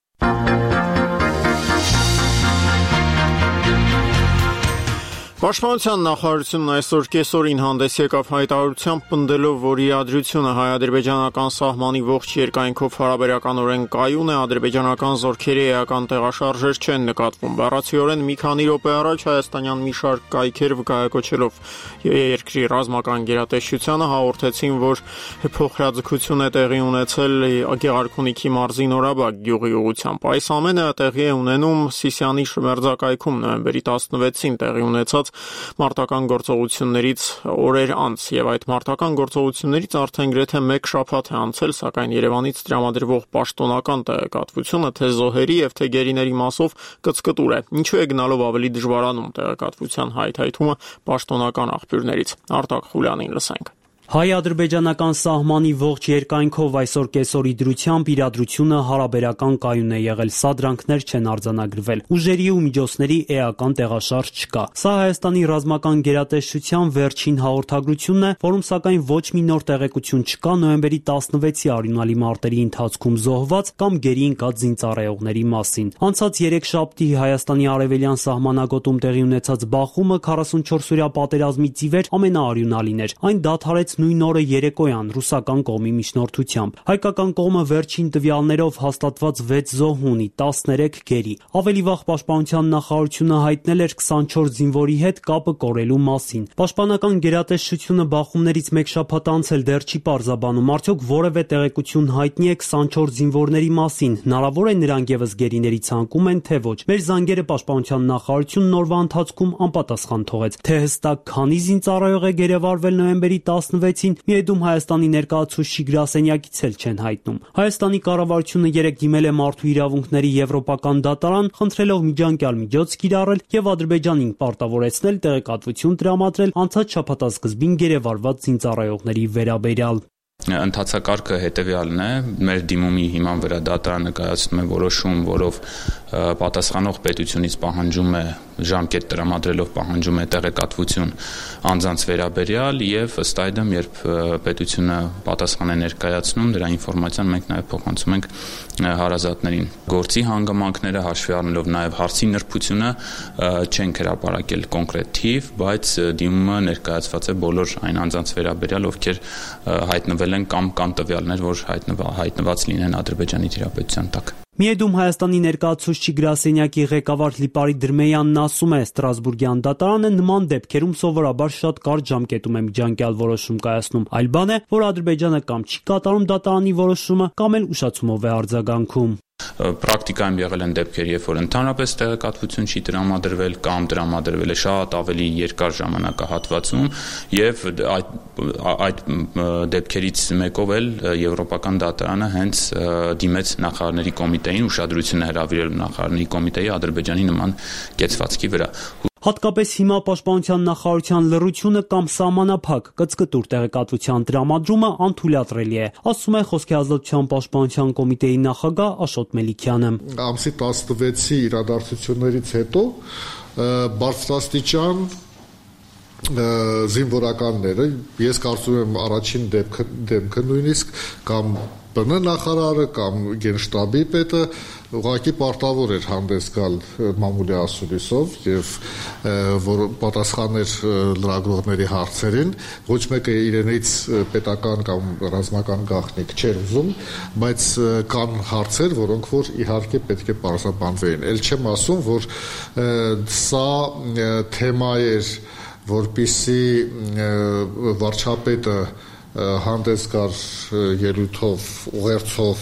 [SPEAKER 1] Պաշտպանության նախարարությունն այսօր կեսօրին հանդես եկավ հայտարարությամբ պնդելով, որ իրադրությունը հայ-ադրբեջանական սահմանի ողջ երկայնքով հարաբերականորեն կայուն է, ադրբեջանական զորքերի էական տեղաշարժեր չեն նկատվում։ Բառացիորեն մի քանի րոպե առաջ հայաստանյան մի շարք կայքեր վկայակոչելով երկրի ռազմական գերատեսչությանը հաղորդեցին, որ փոխհրաձգություն է տեղի ունեցել Գեղարքունիքի մարզի Նորաբակ գյուղի ուղղությամբ։ Այս ամենը տեղի է ունենում Սիսիանի շմերձակայքում նոյեմբերի 16-ին տեղի ունեցած մարտական գործողություններից օրեր անց, եւ այդ մարտական գործողություններից արդեն գրեթե 1 շաբաթ է անցել, սակայն Երևանից տրամադրվող պաշտոնական տեղեկատվությունը թե զոհերի եւ թե գերիների մասով կծկտուր է։ Ինչու է գնալով ավելի դժվարանում տեղեկատվության հայթայթումը պաշտոնական աղբյուրներից։ Արտակ Խուլյանին լսենք։
[SPEAKER 5] Հայ-ադրբեջանական սահմանի ողջ երկայնքով այսօր կեսօրի դրությամբ իրադրությունը հարաբերական կայուն է եղել, սադրանքներ չեն արձանագրվել, ուժերի ու միջոցների էական տեղաշարժ չկա։ Սա Հայաստանի ռազմական գերատեսչության վերջին հաղորդագրությունն է, որում սակայն ոչ մի նոր տեղեկություն չկա նոյեմբերի 16-ի արյունալի մարտերի ընթացքում զոհված կամ գերի ընկած զինծառայողների մասին։ Անցած 3 շաբթի Հայաստանի արևելյան սահմանագոտում տեղի ունեցած բախումը 44-օրյա պատերազմից ի վեր ամենաարյունալին էր։ Այն դադարեց նույն օրը երեկոյան ռուսական կողմի միջնորդությամբ։ Հայկական կողմը վերջին տվյալներով հաստատված 6 զոհ ունի, 13 գերի։ Ավելի վաղ Պաշտպանության նախարարությունը հայտնել էր 24 զինվորի հետ կապը կորելու մասին։ Պաշտպանական գերատեսչությունը բախումներից 1 շաբաթ անց էլ դեռ չի պարզաբանում, արդյոք որևէ տեղեկություն հայտնի է 24 զինվորների մասին, հնարավոր է նրանք եւս գերիների ցանկում են, թե ոչ։ Մեր զանգերը Պաշտպանության նախարարությունն օրվա ընթացքում անպատասխան թողեց, թե հստակ քանի զինծառայող է գերեվարվել նոյեմբերի 16-ին, միեդում Հայաստանի ներկայացուցիչի գրասենյակից էլ չեն հայտնում։ Հայաստանի կառավարությունը երեկ դիմել է մարդու իրավունքների եվրոպական դատարան, խնդրելով միջանկյալ միջոց կիրառել եւ Ադրբեջանին պարտավորեցնել տեղեկատվություն տրամադրել անցած շաբաթասկզբին գերեվարված զինծառայողների վերաբերյալ։
[SPEAKER 19] Ընթացակարգը հետևյալն է, մեր դիմումի հիման վրա դատարանը կայացնում է որոշում, որով պատասխանող պետությունից պահանջում է ժամկետ տրամադրելով պահանջում է տեղեկատվություն անձանց վերաբերյալ եւ ըստ այդմ, երբ պետությունը պատասխան է ներկայացնում, դրա ինֆորմացիան մենք նաեւ փոխանցում ենք հարազատներին։ Գործի հանգամանքները հաշվի առնելով նաեւ հարցի նրբությունը չենք հրապարակել կոնկրետ թիվ, բայց դիմումը ներկայացված է բոլոր այն անձանց վերաբերյալ, ովքեր հայտնվել են կամ կան տվյալներ, որ հայտնված լինեն Ադրբեջանի դիրապետության տակ։
[SPEAKER 5] Միեդում Հայաստանի ներկայացուցիչի գրասենյակի ղեկավար Լիպարի Դրմեյանն ասում է, Ստրասբուրգյան դատարանը նման դեպքերում սովորաբար շատ կարճ ժամկետում է միջանկյալ որոշում կայացնում, այլ բան է, որ Ադրբեջանը կամ չի կատարում դատարանի որոշումը, կամ էլ ուշացումով է արձագանքում։
[SPEAKER 19] Պրակտիկայում եղել են դեպքեր, երբ որ ընդհանրապես տեղեկատվություն չի տրամադրվել կամ տրամադրվել է շատ ավելի երկար ժամանակահատվածում եւ այդ դեպքերից մեկով էլ Եվրոպական դատարանը հենց դիմեց նախարարների կոմիտեին, ուշադրություն է հրավիրել նախարարների կոմիտեի Ադրբեջանի նման կեցվածքի վրա։
[SPEAKER 5] Հատկապես հիմա Պաշտպանության նախարարության լռությունը կամ սահմանափակ կծկտուր տեղեկատվության տրամադրումը անթույլատրելի է, ասում է Խոսքի ազատության պաշտպանության կոմիտեի նախագահ Աշոտ Մելիքյանը։
[SPEAKER 20] Ամսի 16-ի իրադարձություններից հետո բարձրաստիճան զինվորականները, ես կարծում եմ առաջին դեպքը նույնիսկ կամ ԲՆ նախարարը կամ գենշտաբի պետը ուղղակի պարտավոր էր հանդես գալ մամուլի ասուլիսով եւ որ պատասխաներ լրագրողների հարցերին, ոչ մեկը իրենից պետական կամ ռազմական գաղտնիք չէր ուզում, բայց կան հարցեր, որոնք որ իհարկե պետք է պարզաբանվեին։ Էլ չեմ ասում, որ սա թեմա էր, որպիսի վարչապետը հանդես գար ելույթով, ուղերձով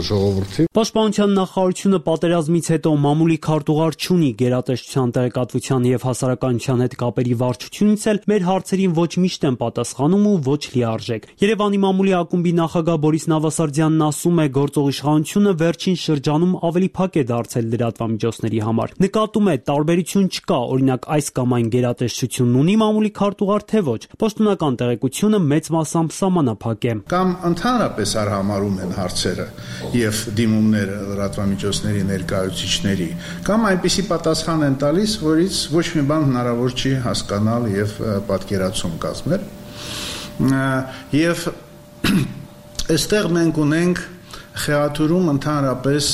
[SPEAKER 20] ժողովրդին։
[SPEAKER 5] Պաշտպանության նախարարությունը պատերազմից հետո մամուլի քարտուղար չունի, գերատեսչության տեղեկատվության եւ հասարակայնության հետ կապերի վարչությունից էլ մեր հարցերին ոչ միշտ են պատասխանում ու ոչ լիարժեք։ Երևանի մամուլի ակումբի նախագահ Բորիս Նավասարդյանն ասում է, գործող իշխանությունը վերջին շրջանում ավելի փակ է դարձել լրատվամիջոցների համար։ Նկատում է, տարբերություն չկա, օրինակ այս կամ այն գերատեսչությունն ունի մամուլի քարտուղար, թե ոչ։ Պաշտոնական տեղեկությունը մեծ սահմանափակ է։
[SPEAKER 21] Կամ ընդհանրապես արհամարում են հարցերը եւ դիմումները լրատվամիջոցների ներկայացուցիչների, կամ այնպիսի պատասխան են տալիս, որից ոչ մի բան հնարավոր չի հասկանալ եւ պատկերացում կազմել։ Եվ այստեղ մենք ունենք խեղաթյուրում ընդհանրապես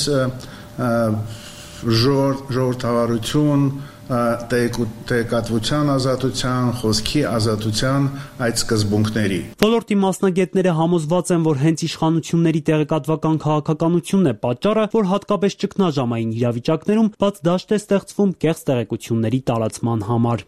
[SPEAKER 21] ժողովրդավարություն, տեղեկատվության ազատության, խոսքի ազատության այդ սկզբունքների։
[SPEAKER 5] Ոլորտի մասնագետները համոզված են, որ հենց իշխանությունների տեղեկատվական քաղաքականությունն է պատճառը, որ հատկապես ճգնաժամային իրավիճակներում բաց դաշտ է ստեղծվում կեղծ տեղեկությունների տարածման համար։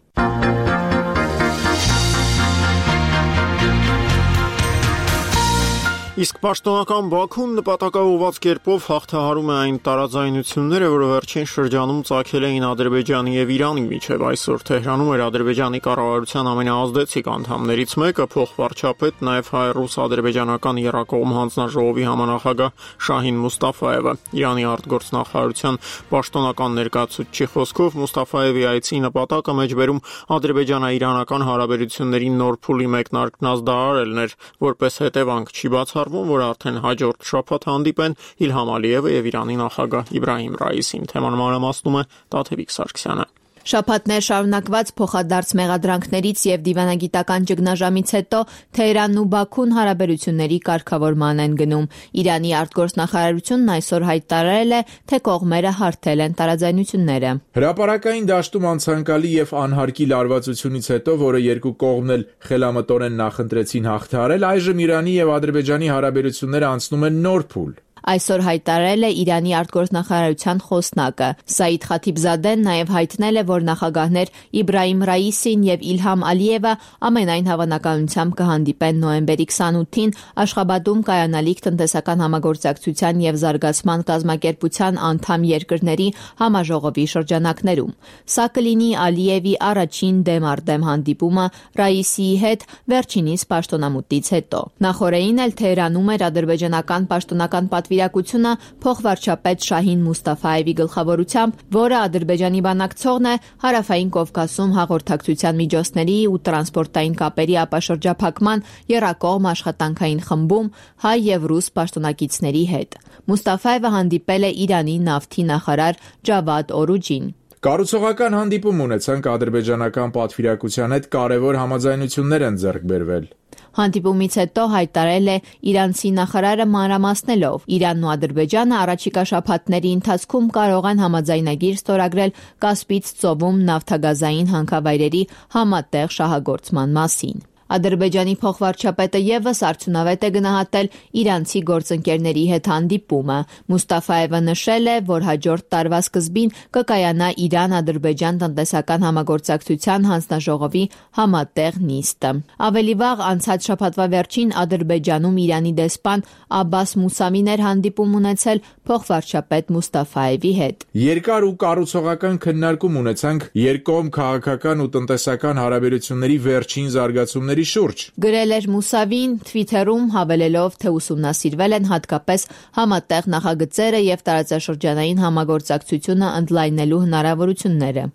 [SPEAKER 1] Իսկ պաշտոնական Բաքուն նպատակաուղղված կերպով հաղթահարում է այն տարաձայնությունները, որը վերջին շրջանում ծագել էին Ադրբեջանի եւ Իրանի միջև։ Այսօր Թեհրանում էր Ադրբեջանի կառավարության ամենաազդեցիկ անդամներից մեկը, փոխվարչապետ, նաեւ հայ-ռուս-ադրբեջանական եռակողմ հանձնաժողովի համանախագահ Շահին Մուստաֆայևը։ Իրանի արտգործնախարարության պաշտոնական ներկայացուցչի խոսքով Մուստաֆայևի այցի նպատակը մեջբերում ադրբեջանա-իրանական հարաբերությունների նոր փուլի մեկնարկն ազդարարելն էր, որպես հետևանք չի բացառվում, որ արդեն հաջորդ շաբաթ հանդիպեն Իլհամ Ալիևը եւ Իրանի նախագահ Իբրահիմ Ռայիսին։ Թեման մանրամասնում է Տաթևիկ Սարգսյանը։
[SPEAKER 2] Շաբաթներ շարունակված փոխադարձ մեղադրանքներից եւ դիվանագիտական ճգնաժամից հետո Թեհրանն ու Բաքուն հարաբերությունների կարգավորման են գնում։ Իրանի արտգործնախարարությունն այսօր հայտարարել է, թե կողմերը հարթել են տարաձայնությունները։
[SPEAKER 14] Հրապարակային դաշտում անցանկալի եւ անհարկի լարվածությունից հետո, որը երկու կողմն էլ խելամտորեն նախընտրեցին հաղթահարել, այժմ Իրանի եւ Ադրբեջանի հարաբերությունները անցնում են նոր փուլ։
[SPEAKER 2] Այսօր հայտարարել է Իրանի արտգործնախարարության խոսնակը։ Սաիդ Խաթիբզադեն նաև հայտնել է, որ նախագահներ Իբրահիմ Ռայիսին եւ Իլհամ Ալիևը ամենայն հավանականությամբ կհանդիպեն նոյեմբերի 28-ին Աշխաբադում կայանալիք տնտեսական համագործակցության եւ զարգացման կազմակերպության անդամ երկրների համաժողովի շրջանակներում։ Սա կլինի Ալիևի առաջին դեմ առ դեմ հանդիպումը Ռայիսիի հետ վերջինիս պաշտոնամուտից հետո։ Նախորդին էլ Թեհրանում էր ադրբեջանական պաշտոնական պատվիրակությունը փոխվարչապետ Շահին Մուստաֆայևի գլխավորությամբ, որը Ադրբեջանի բանակցողն է Հարավային Կովկասում հաղորդակցության միջոցների ու տրանսպորտային կապերի ապաշրջափակման եռակողմ աշխատանքային խմբում հայ եւ ռուս պաշտոնակիցների հետ։ Մուստաֆայևը հանդիպել է Իրանի նավթի նախարար Ջավադ Օրուջին։
[SPEAKER 14] Կառուցողական հանդիպում ունեցանք ադրբեջանական պատվիրակության հետ կարևոր համաձայնություններ են ձեռք բերվել։
[SPEAKER 2] Հանդիպումից հետո հայտարարել է իրանցի նախարարը մանրամասնելով. Իրանն ու Ադրբեջանը առաջիկա շաբաթների ընթացքում կարող են համաձայնագիր ստորագրել Կասպից ծովում նավթագազային հանքավայրերի համատեղ շահագործման մասին։ Ադրբեջանի փոխվարչապետը եւս արդյունավետ է գնահատել իրանցի գործընկերների հետ հանդիպումը։ Մուստաֆայևը նշել է, որ հաջորդ տարվա սկզբին կկայանա Իրան-Ադրբեջան տնտեսական համագործակցության հանձնաժողովի համատեղ նիստը։ Ավելի վաղ անցած շաբաթվա վերջին Ադրբեջանում Իրանի դեսպան Աբբաս Մուսավին էր հանդիպում ունեցել փոխվարչապետ Մուստաֆայևի հետ։
[SPEAKER 14] Երկար ու կառուցողական քննարկում ունեցանք երկկողմ քաղաքական ու տնտեսական հարաբերությունների վերջին զարգացումների շուրջ։
[SPEAKER 2] Գրել էր Մուսավին Twitter-ում, հավելելով, թե ուսումնասիրվել են հատկապես համատեղ նախագծերը եւ տարածաշրջանային համագործակցությունը ընդլայնելու հնարավորությունները։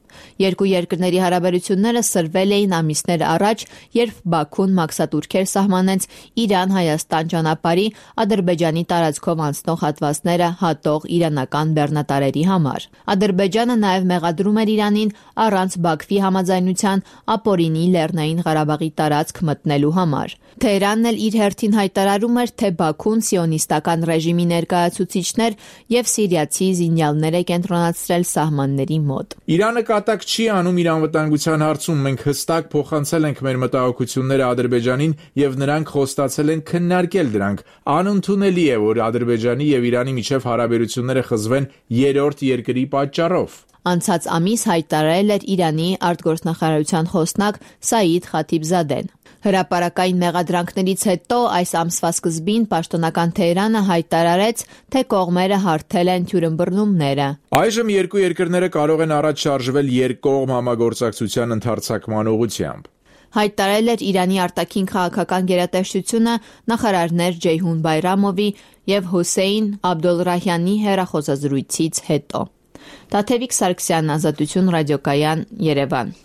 [SPEAKER 2] Երկու երկրների հարաբերությունները սրվել էին ամիսներ առաջ, երբ Բաքուն մաքսատուրքեր սահմանեց Իրան-Հայաստան ճանապարհի Ադրբեջանի տարածքով անցնող հատվածները հատող իրանական բեռնատարերի համար։ Ադրբեջանը նաև մեղադրում էր Իրանին առանց Բաքվի համաձայնության ապօրինի Լեռնային Ղարաբաղի տարածք մտնելու համար։ Թեհրանն էլ իր հերթին հայտարարում էր, թե Բաքուն սիոնիստական ռեժիմի ներկայացուցիչներ եւ սիրիացի զինյալներ է կենտրոնացրել սահմանների մոտ։
[SPEAKER 14] Իրանը կատակ չի անում իր անվտանգության հարցում։ Մենք հստակ փոխանցել ենք մեր մտահոգությունները Ադրբեջանին եւ նրանք խոստացել են քննարկել դրանք։ Անընդունելի է, որ Ադրբեջանի եւ Իրանի միջև հարաբերությունները խզվեն երրորդ երկրի պատճառով։
[SPEAKER 2] Անցած ամիս հայտարարել էր Իրանի արտգործնախարարության խոսնակ Սաիդ Խաթիբզադեն։ Հրապարակային մեղադրանքներից հետո այս ամսվա սկզբին պաշտոնական Թեհրանը հայտարարեց, թե կողմերը հարթել են թյուրըմբռնումները։
[SPEAKER 14] Այժմ երկու երկրները կարող են առաջ շարժվել երկկողմ համագործակցության ընդարձակման ուղղությամբ։
[SPEAKER 2] Հայտարարել էր Իրանի արտաքին քաղաքական գերատեսչությունը նախարարներ Ջեյհուն Բայրամովի եւ Հոսեյն Աբդոլրահյանի հեռախոսազրույցից հետո։ Տաթևիկ Սարգսյան, Ազատություն ռադիոկայան, Երևան։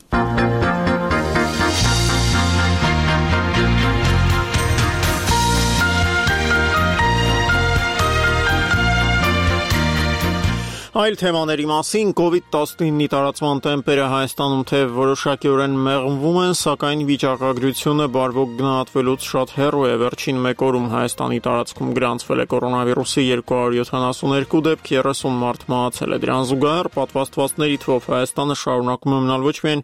[SPEAKER 1] Այլ թեմաների մասին COVID-19-ի տարածման տեմպերը Հայաստանում թե որոշակիորեն մեղմվում են, սակայն վիճակագրությունը բարվոք գնահատվելուց շատ հեռու է։ Վերջին մեկ օրում Հայաստանի տարածքում գրանցվել է կորոնավիրուսի 272 դեպք, 30 մարդ մահացել է։ Դրան զուգահեռ պատվաստվածների թվով Հայաստանը շարունակում է մնալ ոչ միայն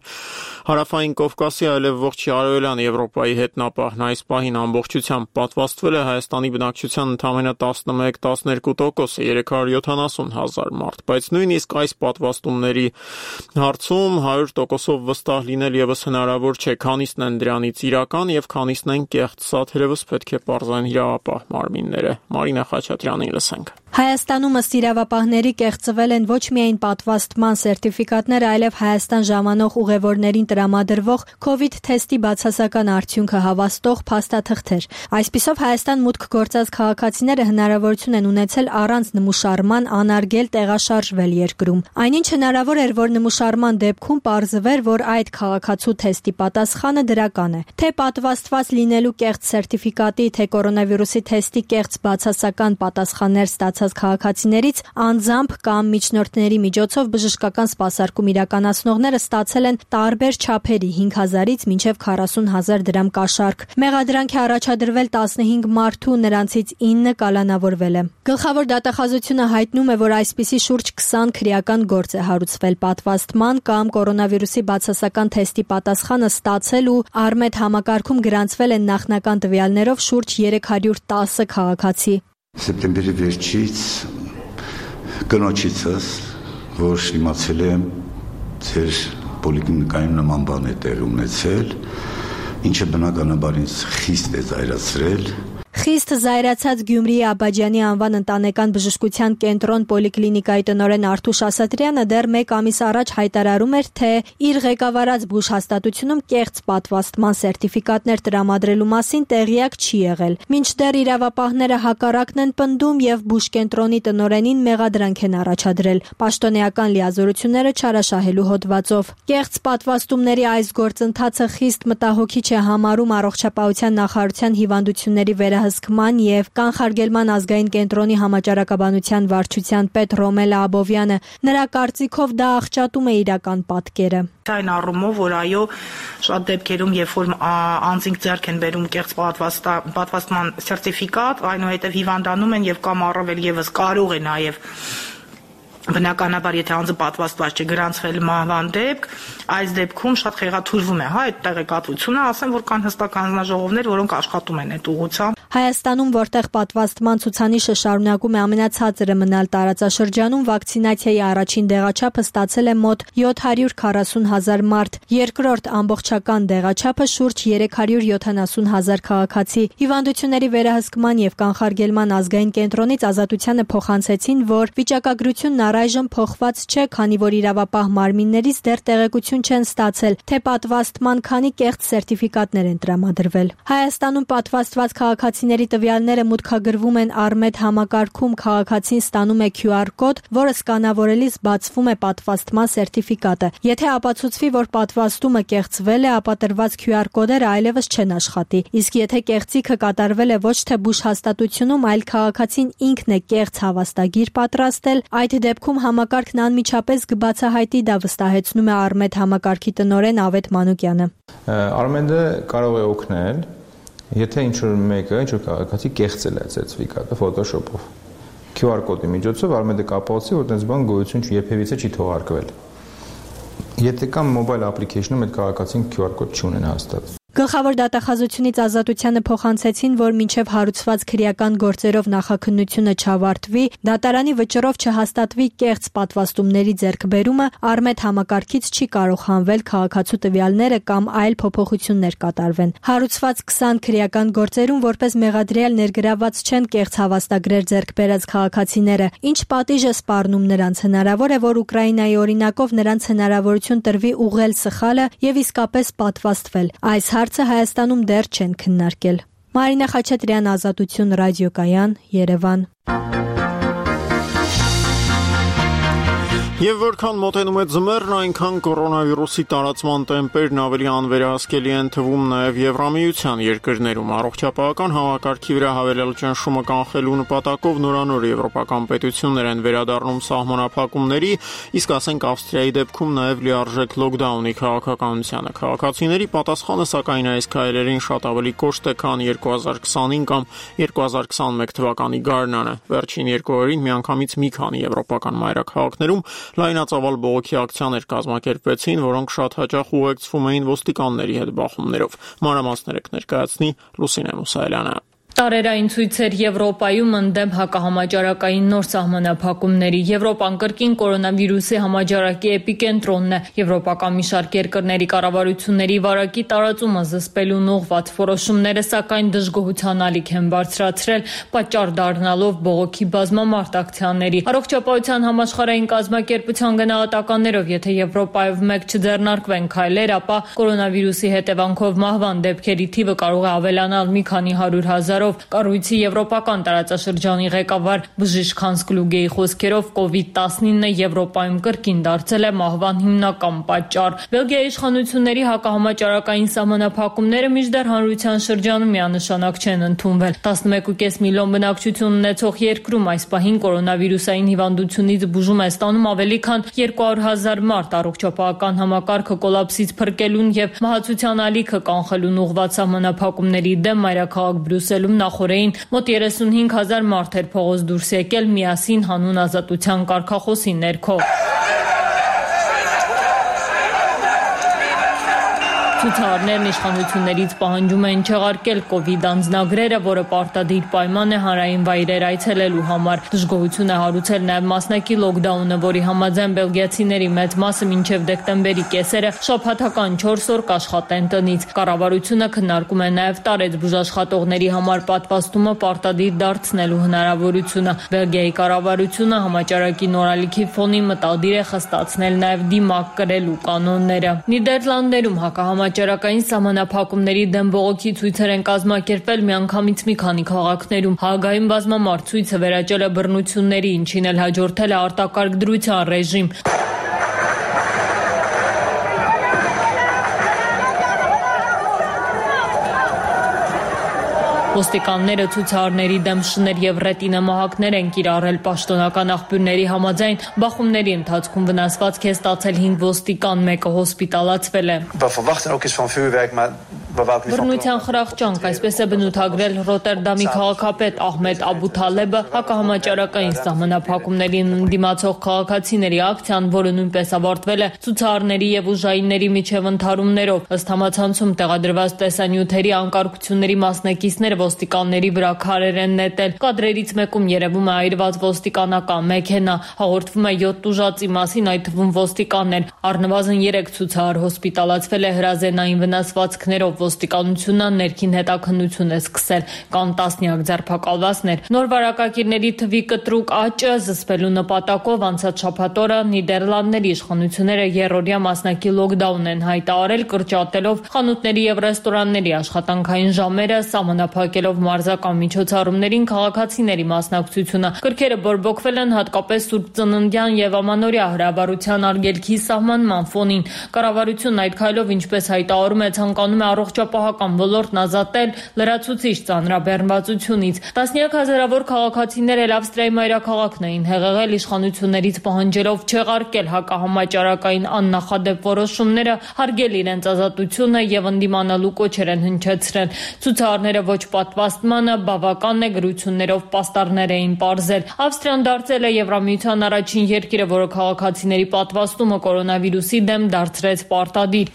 [SPEAKER 1] Հարավային Կովկասի, այլև ողջ Արևելյան Եվրոպայի հետնապահն։ Այս պահին ամբողջությամբ պատվաստվել է Հայաստանի բնակչության ընդամենը 11-12%-ը, 370,000 մարդ։ ոլորտ, բայց նույնիսկ այս պատվաստումների հարցում 100%-ով վստահ լինել եւս հնարավոր չէ, քանիսն են դրանից իրական եւ քանիսն են կեղծ, սա թերևս պետք է պարզեն իրավապահ մարմինները։ Մարինա Խաչատրյանին լսենք։
[SPEAKER 4] Հայաստանում ըստ իրավապահների կեղծվել են ոչ միայն պատվաստման սերտիֆիկատներ, այլև Հայաստան ժամանող ուղևորներին տրամադրվող COVID թեստի բացասական արդյունքը հավաստող փաստաթղթեր։ Այսպիսով Հայաստան մուտք գործած քաղաքացիները հնարավորություն են ունեցել առանց նմուշարման անարգել տեղաշարժվել երկրում։ Այնինչ հնարավոր էր, որ նմուշարման դեպքում պարզվեր, որ այդ քաղաքացու թեստի պատասխանը դրական է։ Թե պատվաստված լինելու կեղծ սերտիֆիկատի, թե կորոնավիրուսի թեստի կեղծ բացասական պատասխաններ ստացած քաղաքացիներից անձամբ կամ միջնորդների միջոցով բժշկական սպասարկում իրականացնողները ստացել են տարբեր չափերի 5,000-ից մինչև 40,000 դրամ կաշառք։ Մեղադրանք է առաջադրվել 15 մարդու, նրանցից 9 կալանավորվել է։ Գլխավոր դատախազությունը հայտնում է, որ այսպիսի շուրջ 20 քրեական գործ է հարուցվել պատվաստման կամ կորոնավիրուսի բացասական թեստի պատասխանը ստացել ու Արմետ համակարգում գրանցվել են նախնական տվյալներով շուրջ 310 քաղաքացի։
[SPEAKER 22] Սեպտեմբերի վերջից կնոջիցս, որ իմացել եմ ձեր պոլիկլինիկայում նման բան է տեղի ունեցել, ինչը բնականաբար ինձ խիստ է զայրացրել։
[SPEAKER 4] Խիստ զայրացած Գյումրիի Աբաջյանի անվան ընտանեկան բժշկության կենտրոն պոլիկլինիկայի տնօրեն Արթուշ Ասատրյանը դեռ 1 ամիս առաջ հայտարարում էր, թե իր ղեկավարած բուժհաստատությունում կեղծ պատվաստման սերտիֆիկատներ տրամադրելու մասին տեղյակ չի եղել։ Մինչդեռ իրավապահները հակառակն են պնդում եւ բուժկենտրոնի տնօրենին մեղադրանք են առաջադրել պաշտոնեական լիազորությունները չարաշահելու հոդվածով։ Կեղծ պատվաստումների այս գործընթացը խիստ մտահոգիչ է համարում առողջապահության նախարարության հիվանդությունների վերահսկման եւ կանխարգելման ազգային կենտրոնի համաճարակաբանության վարչության պետ Ռոմելա Աբովյանը։ Նրա կարծիքով դա աղճատում է իրական պատկերը։
[SPEAKER 23] Այն առումով, որ այո, շատ դեպքերում, երբ որ անձինք ձեռք են բերում կեղծ պատվաստման սերտիֆիկատ, այնուհետև հիվանդանում են եւ կամ առավել եւս կարող է նաեւ բնականաբար եթե անձը պատվաստված չէ գրանցվել մահվան դեպք, այս դեպքում շատ խեղաթյուրվում է, այդ տեղեկատվությունը, ասեմ, որ կան հստակ հանձնաժողովներ, որոնք աշխատում են այդ ուղղությամբ։
[SPEAKER 4] Հայաստանում, որտեղ պատվաստման ցուցանիշը շարունակում է ամենացածրը մնալ տարածաշրջանում, վակցինացիայի առաջին դեղաչափը ստացել է մոտ 740,000 մարդ, երկրորդ ամբողջական դեղաչափը շուրջ 370,000 քաղաքացի։ Հիվանդությունների վերահսկման եւ կանխարգելման ազգային կենտրոնից ազատությանը փոխանցեցին, որ վիճակագրությունն առայժմ փոխված չէ, քանի որ իրավապահ մարմիններից դեռ տեղեկություն չեն ստացել, թե պատվաստման քանի կեղծ սերտիֆիկատներ են տրամադրվել։ Հայաստանում պատվաստված քաղաքացիների տվյալները մուտքագրվում են Արմետ համակարգում, քաղաքացին ստանում է QR կոդ, որը սկանավորելիս բացվում է պատվաստման սերտիֆիկատը։ Եթե ապացուցվի, որ պատվաստումը կեղծվել է, ապա տրված QR կոդերը այլևս չեն աշխատի։ Իսկ եթե կեղծիքը կատարվել է ոչ թե բուժհաստատությունում, այլ քաղաքացին ինքն է կեղծ հավաստագիր պատրաստել, այդ դեպքում համակարգն անմիջապես կբացահայտի, դա վստահեցնում է Արմետ համակարգի տնօրեն Ավետ Մանուկյանը։
[SPEAKER 24] Արմեդը կարող է օգնել, եթե ինչ-որ մեկը, ինչ-որ քաղաքացի կեղծել է սերտիֆիկատը Photoshop-ով։ QR կոդի միջոցով Արմեդը կապացի, որ այդպես բան գոյություն երբևիցե չի թողարկվել։ Եթե կամ mobile application-ում այդ քաղաքացին QR կոդ չունեն հաստատ։
[SPEAKER 4] Գլխավոր դատախազությունից ազատությանը փոխանցեցին, որ մինչև հարուցված քրեական գործերով նախաքննությունը չավարտվի, դատարանի վճռով չհաստատվի կեղծ պատվաստումների ձեռքբերումը, Արմետ համակարգից չի կարող հանվել քաղաքացու տվյալները կամ այլ փոփոխություններ կատարվեն։ Հարուցված 20 քրեական գործերում որպես մեղադրյալ ներգրաված չեն կեղծ հավաստագրեր ձեռք բերած քաղաքացիները, ինչ պատիժ է սպառնում նրանց։ Հնարավոր է, որ Ուկրաինայի օրինակով նրանց հնարավորություն տրվի ուղղել սխալը եւ իսկապես պատվաստվել։ Այս հարցը Հայաստանում դեռ չեն քննարկել։ Մարինա Խաչատրյան, Ազատություն, ռադիոկայան, Երևան։
[SPEAKER 1] Եվ որքան մոտենում է ձմեռն, այնքան կորոնավիրուսի տարածման տեմպերն ավելի անվերահսկելի են թվում նաև Եվրամիության երկրներում։ Առողջապահական համակարգի վրա հավելյալ ճնշումը կանխելու նպատակով նորանոր եվրոպական պետություններ են վերադառնում սահմանափակումների, իսկ ասենք Ավստրիայի դեպքում նաև լիարժեք լոկդաունի քաղաքականությանը։ Քաղաքացիների պատասխանը սակայն այս քայլերին շատ ավելի կոշտ է, քան 2020 կամ 2021 թվականի գարնանը։ Վերջին 2 օրերին միանգամից մի քանի եվրոպական մայրաքաղաքներում լայնածավալ բողոքի ակցիաներ կազմակերպվեցին, որոնք շատ հաճախ ուղեկցվում էին ոստիկանների հետ բախումներով։ Մանրամասները կներկայացնի Լուսինե Մուսայելյանը։
[SPEAKER 3] Տարերային ցույցեր Եվրոպայում ընդդեմ հակահամաճարակային նոր սահմանափակումների։ Եվրոպան կրկին կորոնավիրուսի համաճարակի էպիկենտրոնն է։ Եվրոպական մի շարք երկրների կառավարությունների վարակի տարածումը զսպելուն ուղղված որոշումները, սակայն դժգոհության ալիք են բարձրացրել, պատճառ դառնալով բողոքի բազմամարդ ակցիաների։ Առողջապահության համաշխարհային կազմակերպության գնահատականներով, եթե Եվրոպայով մեկ չձեռնարկվեն քայլեր, ապա կորոնավիրուսի հետևանքով մահվան դեպքերի թիվը կարող է ավելանալ մի քանի 100,000-ով։ Կառույցի եվրոպական տարածաշրջանի ղեկավար Բժիշկ Հանս Կլուգեի խոսքերով COVID-19-ը Եվրոպայում կրկին դարձել է մահվան հիմնական պատճառ։ Բելգիայի իշխանությունների հակահամաճարակային սահմանափակումները մինչդեռ հանրության շրջանում միանշանակ չեն ընդունվել։ 11.5 միլիոն բնակչություն ունեցող երկրում այս պահին կորոնավիրուսային հիվանդությունից բուժում է ստանում ավելի քան 200,000 մարդ։ Առողջապահական համակարգը կոլապսից փրկելուն եւ մահացության ալիքը կանխելուն ուղղված սահմանափակումների դեմ մայրաքաղաք Բրյուսելում նախորդին մոտ 35,000 մարդ էր փողոց դուրս եկել միասին հանուն ազատության կարգախոսի ներքո։ Ցուցարարներն իշխանություններից պահանջում են չեղարկել COVID անձնագրերը, որը պարտադիր պայման է հանրային վայրեր այցելելու համար։ Դժգոհություն է հարուցել նաև մասնակի լոկդաունը, որի համաձայն բելգիացիների մեծ մասը մինչև դեկտեմբերի կեսերը շաբաթական 4 օր կաշխատեն տնից։ Կառավարությունը քննարկում է նաև տարեց բուժաշխատողների համար պատվաստումը պարտադիր դարձնելու հնարավորությունը։ Բելգիայի կառավարությունը համաճարակի նորալիքի ֆոնին մտադիր է խստացնել նաև դիմակ կրելու կանոնները։ Նիդերլանդներում հակահամաճարակային սահմանափակումների դեմ բողոքի ցույցեր են կազմակերպել միանգամից մի քանի քաղաքներում։ Հաագայում բազմամարդ ցույցը վերաճել է բռնությունների, ինչին էլ հաջորդել է արտակարգ դրության ռեժիմ։ Ոստիկանները ցուցարարների դեմ շներ եւ ռետինամահակներ են կիրառել։ Պաշտոնական աղբյուրների համաձայն բախումների ընթացքում վնասվածք է ստացել 5 ոստիկան, մեկը հոսպիտալացվել է։ Բռնության խրախճանք, այսպես է բնութագրել Ռոտերդամի քաղաքապետ Ահմեդ Աբութալեբը հակահամաճարակային սահմանափակումներին ընդդիմացող քաղաքացիների ակցիան, որը նույնպես ավարտվել է ցուցարարների եւ ուժայինների միջև ընդհարումներով։ Ըստ համացանցում տեղադրված տեսանյութերի անկարգությունների մասնակիցները ոստիկանների վրա քարեր են նետել։ Կադրերից մեկում երևում է այրված ոստիկանական մեքենա, հաղորդվում է 7 տուժածի մասին, այդ թվում ոստիկաններ։ Առնվազն 3 ցուցարար հոսպիտալացվել է հրազենային վնասվածքներով։ Ոստիկանությունը ներքին հետաքննություն է սկսել, կան տասնյակ ձերբակալվածներ։ Նոր վարակագիրների թվի կտրուկ աճը զսպելու նպատակով անցած շաբաթ օրը Նիդերլանդների իշխանությունները երրորդյա մասնակի լոկդաուն են հայտարարել, կրճատելով խանութների եւ ռեստորանների աշխատանքային ժամերը, սահմանափակելով մարզական միջոցառումներին քաղաքացիների մասնակցությունը։ Կրքերը բորբոքվել են հատկապես Սուրբ Ծննդյան եւ Ամանորյա հրավառության արգելքի սահմանման ֆոնին։ Կառավարությունն այդ քայլով, ինչպես հայտարարում է, ցանկանում է առողջապահական ոլորտն ազատել լրացուցիչ ծանրաբեռնվածությունից։ Տասնյակ հազարավոր քաղաքացիներ էլ Ավստրիայի մայրաքաղաքն էին հեղեղել իշխանություններից պահանջելով չեղարկել հակահամաճարակային աննախադեպ որոշումները, հարգել իրենց ազատությունը եւ ընդդիմանալու կոչեր են հնչեցրել։ Ցուցարարները ոչ պատվաստմանը բավական է գրություններով պաստառներ էին պարզել։ Ավստրիան դարձել է Եվրամիության առաջին երկիրը, որը քաղաքացիների պատվաստումը կորոնավիրուսի դեմ դարձրեց պարտադիր։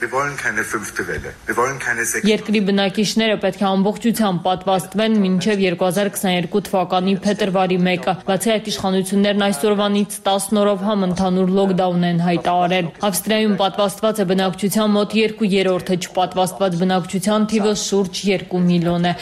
[SPEAKER 3] Երկրի բնակիչները պետք է ամբողջությամբ պատվաստվեն մինչև 2022 թվականի փետրվարի 1-ը։ Բացի այդ, իշխանություններն այսօրվանից 10 օրով համընդհանուր լոկդաուն են հայտարարել։ Ավստրիայում պատվաստված է բնակչության մոտ 2/3-ը, չպատվաստված բնակչության թիվը շուրջ 2 միլիոն է։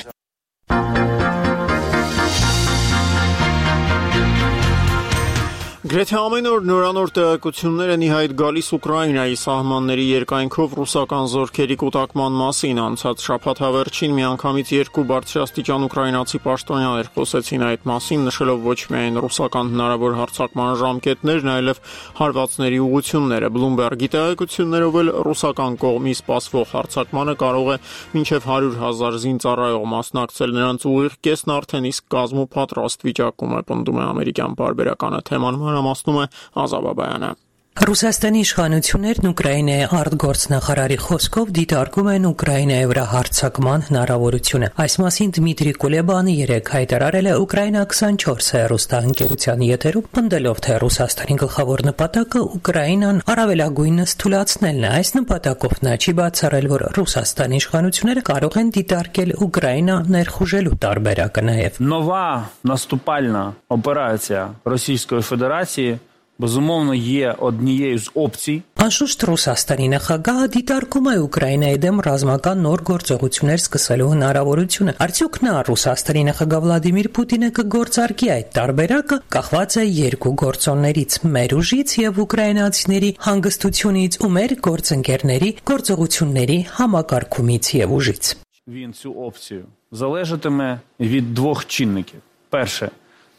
[SPEAKER 1] Գրեթե ամեն օր նորանոր տեղեկություններ են ի հայտ գալիս Ուկրաինայի սահմանների երկայնքով ռուսական զորքերի կուտակման մասին։ Անցած շաբաթ հավերչին միանգամից 2 բարձրաստիճան ուկրաինացի պաշտոնյաներ խոսեցին այդ մասին, նշելով ոչ միայն ռուսական հնարավոր հարձակման ժամկետներն, այլև հարվածների ուղղությունները։ Bloomberg-ի տեղեկություններով էլ ռուսական կողմի սպասվող հարձակմանը կարող է մինչև 100,000 զինծառայող մասնակցել, նրանց ուղիղ կեսն արդեն իսկ կազմու պատրաստ վիճակում է, պնդում է ամերիկյան պարբերականը։ Թեման մանրամասնում է Ազա Բաբայանը։
[SPEAKER 7] Ռուսաստանի իշխանություններն Ուկրաինայի արտգործնախարարի խոսքով դիտարկում են Ուկրաինայի վրա հարձակման հնարավորությունը։ Այս մասին Դմիտրի Կուլեբանը երեկ հայտարարել է Ուկրաինա 24 հեռուստաընկերության եթերում, պնդելով, թե Ռուսաստանի գլխավոր նպատակը Ուկրաինան առավելագույնս թուլացնելն է։ Այս նպատակով նա չի բացառել, որ Ռուսաստանի իշխանությունները կարող են դիտարկել Ուկրաինա ներխուժելու տարբերակը նաև։
[SPEAKER 8] Նովա наступальна операція Російської Федерації безумовно є однією з опцій.
[SPEAKER 7] Անշուշտ Ռուսաստանի նախագահը դիտարկում է Ուկրաինայի դեմ ռազմական նոր գործողություններ սկսելու հնարավորությունը։ Արդյոք նա Ռուսաստանի նախագահ Վլադիմիր Պուտինը կգործարկի այդ տարբերակը, կախված է երկու գործոններից՝ մեր ուժից եւ ուկրաինացիների հանգստությունից ու մեր գործընկերների գործողությունների համակարգումից եւ ուժից։
[SPEAKER 8] Він цю опцію залежатиме від двох чинників. Перше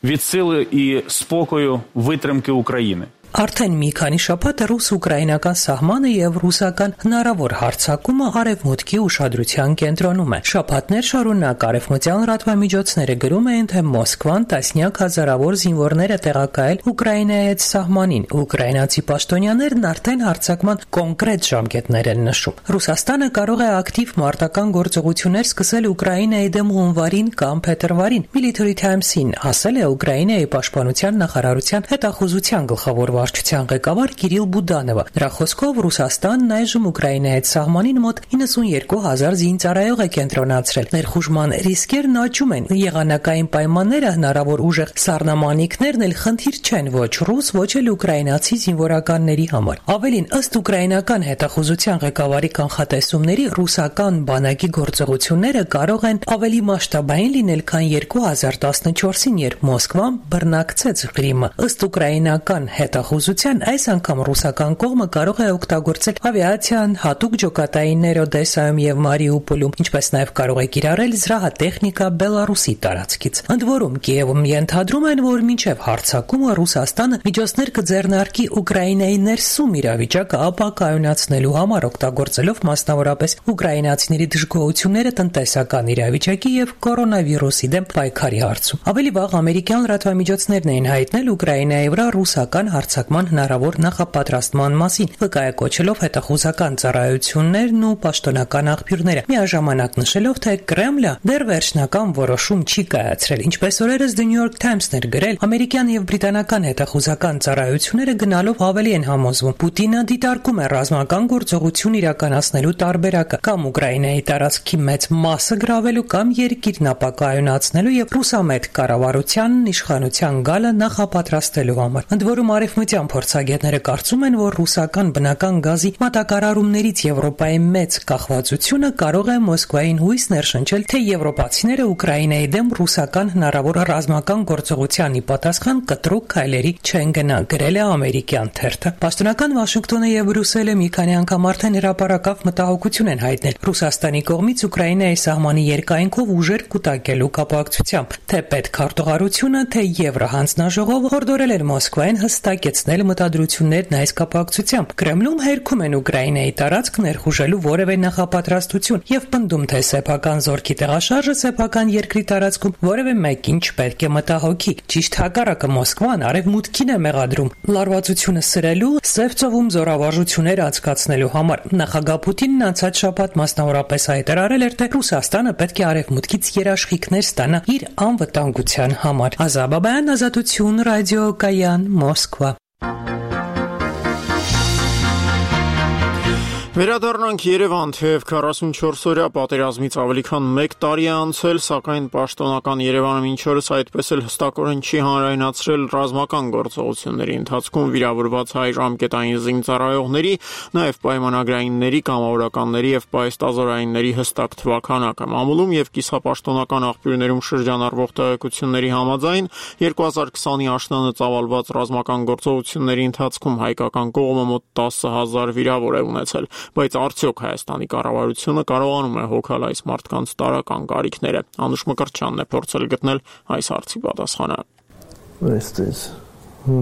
[SPEAKER 8] від сили і спокою витримки України.
[SPEAKER 7] Արդեն մի քանի շաբաթ ռուս-ուկրաինական սահմանը եւ ռուսական հնարավոր հարձակումը արևմուտքի ուշադրության կենտրոնում է։ Շաբաթներ շարունակ արևմտյան լրատվամիջոցները գրում էին, թե Մոսկվան տասնյակ հազարավոր զինվորներ է տեղակայել Ուկրաինայի հետ սահմանին։ Ուկրաինացի պաշտոնյաներն արդեն հարձակման կոնկրետ ժամկետներ են նշում։ Ռուսաստանը կարող է ակտիվ մարտական գործողություններ սկսել Ուկրաինայի դեմ հունվարին կամ փետրվարին։ Military Times-ին ասել է Ուկրաինայի պաշտպանության նախարարության հետախուզության գլխավոր վարչության ղեկավար Կիրիլ Բուդանովը։ Նրա խոսքով Ռուսաստանն այժմ Ուկրաինայի հետ սահմանին մոտ 92,000 զինծառայող է կենտրոնացրել։ Ներխուժման ռիսկերն աճում են։ Եղանակային պայմանները, հնարավոր ուժեղ սառնամանիքներն էլ խնդիր չեն ոչ ռուս, ոչ էլ ուկրաինացի զինվորականների համար։ Ավելին, ըստ ուկրաինական հետախուզության ղեկավարի կանխատեսումների, ռուսական բանակի գործողությունները կարող են ավելի մասշտաբային լինել, քան 2014-ին, երբ Մոսկվան բռնակցեց Ղրիմը։ Ըստ ուկրաինական հետախուզության այս անգամ ռուսական կողմը կարող է օգտագործել ավիացիան, հատուկ ջոկատայիններ Օդեսայում եւ Մարիուպոլում, ինչպես նաեւ կարող է կիրառել զրահատեխնիկա Բելարուսի տարածքից։ Ընդ որում Կիևում ենթադրում են, որ մինչեւ հարձակումը Ռուսաստանը միջոցներ կձեռնարկի Ուկրաինայի ներսում իրավիճակը ապակայունացնելու համար, օգտագործելով մասնավորապես ուկրաինացիների դժգոհությունները տնտեսական իրավիճակի եւ կորոնավիրուսի դեմ պայքարի հարցում։ Ավելի վաղ ամերիկյան լրատվամիջոցներն էին հայտնել Ուկրաինայի վրա ռուսական հարձակման հնարավոր նախապատրաստման մասին, վկայակոչելով հետախուզական ծառայություններն ու պաշտոնական աղբյուրները, միաժամանակ նշելով, թե Կրեմլը դեռ վերջնական որոշում չի կայացրել։ Ինչպես օրերս The New York Times-ն էր գրել, ամերիկյան եւ բրիտանական հետախուզական ծառայությունները գնալով ավելի են համոզվում, Պուտինը դիտարկում է ռազմական գործողություն իրականացնելու տարբերակը կամ Ուկրաինայի տարածքի մեծ մասը գրավելու կամ երկիրն ապակայունացնելու եւ ռուսամետ կառավարության իշխանության գալը նախապատրաստելու համար։ Ընդ որում արևմտյան փորձագետները կարծում են, որ ռուսական բնական գազի մատակարարումներից Եվրոպայի մեծ կախվածությունը կարող է Մոսկվային հույս ներշնչել, թե եվրոպացիները Ուկրաինայի դեմ ռուսական հնարավոր ռազմական գործողության ի պատասխան կտրուկ քայլերի չեն գնա, գրել է ամերիկյան թերթը։ Պաշտոնական Վաշինգտոնը եւ Բրյուսելը մի քանի անգամ արդեն հրապարակավ մտահոգություն են հայտնել Ռուսաստանի կողմից Ուկրաինայի սահմանի երկայնքով ուժեր կուտակելու կապակցությամբ, թե պետքարտուղարությունը, թե Եվրահանձնաժողովը հորդորել են Մոսկվային հստակեցնել մտադրություններն այս կապակցությամբ։ Կրեմլում հերքում են Ուկրաինայի տարածք ներխուժելու որևէ նախապատրաստություն եւ պնդում, թե սեփական զորքի տեղաշարժը սեփական երկրի տարածքում որևէ մեկին չպետք է մտահոգի։ Ճիշտ հակառակը Մոսկվան արևմուտքին է մեղադրում լարվածությունը սրելու, Սև ծովում զորավարժություններ անցկացնելու համար։ Նախագահ Պուտինն անցած շաբաթ մասնավորապես հայտարարել էր, թե Ռուսաստանը պետք է արևմուտքից երաշխիքներ ստանա իր անվտանգության համար։ Ազաբաբյան, Ազատություն, ռադիոկայան, Մոսկվա։
[SPEAKER 1] Վերադառնանք Երևան, թեև 44-օրյա պատերազմից ավելի քան 1 տարի է անցել, սակայն պաշտոնական Երևանը մինչ օրս այդպես էլ հստակորեն չի հանրայնացրել ռազմական գործողությունների ընթացքում վիրավորված հայ ժամկետային զինծառայողների, նաև պայմանագրայինների, կամավորականների եւ պայստազորայինների հստակ թվաքանակը։ Մամուլում եւ կիսապաշտոնական աղբյուրներում շրջանառվող տեղեկությունների համաձայն 2020-ի աշնանը ծավալված ռազմական գործողությունների ընթացքում հայկական կողմը մոտ 10,000 վիրավոր է ունեցել։ Բայց արդյոք Հայաստանի կառավարությունը կարողանում է հոգալ այս մարդկանց տարական կարիքները։ Անուշ Մկրտչյանն է փորձել գտնել այս հարցի պատասխանը։
[SPEAKER 9] Այստեղ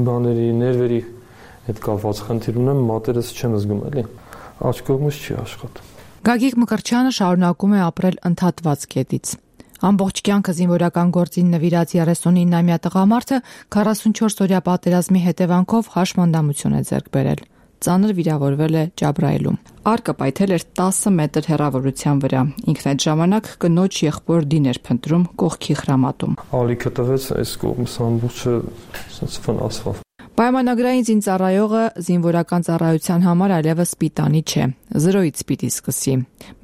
[SPEAKER 9] բաների ներվերի հետ կապված խնդիր ունեմ, մատերս չեմ զգում էլի։ Աչք կողմից չի աշխատում։
[SPEAKER 10] Գագիկ Մկրտչյանը շարունակում է ապրել ընդհատված կետից։ Ամբողջ կյանքը զինվորական գործին նվիրած 39-ամյա տղամարդը 44-օրյա պատերազմի հետևանքով հաշմանդամություն է ձեռք բերել։ Ծանր վիրավորվել է Ջաբրայելում։ Արկը պայթել էր 10 մետր հեռավորության վրա։ Ինքն այդ ժամանակ կնոջ եղբոր դին էր փնտրում կողքի խրամատում։
[SPEAKER 9] Ալիքը տվեց այս կողմս ամբողջը ասես վնասվավ։
[SPEAKER 10] Պայմանագրային զինծառայողը զինվորական ծառայության համար այլևս սպիտանի չէ, 0-ից պիտի սկսի,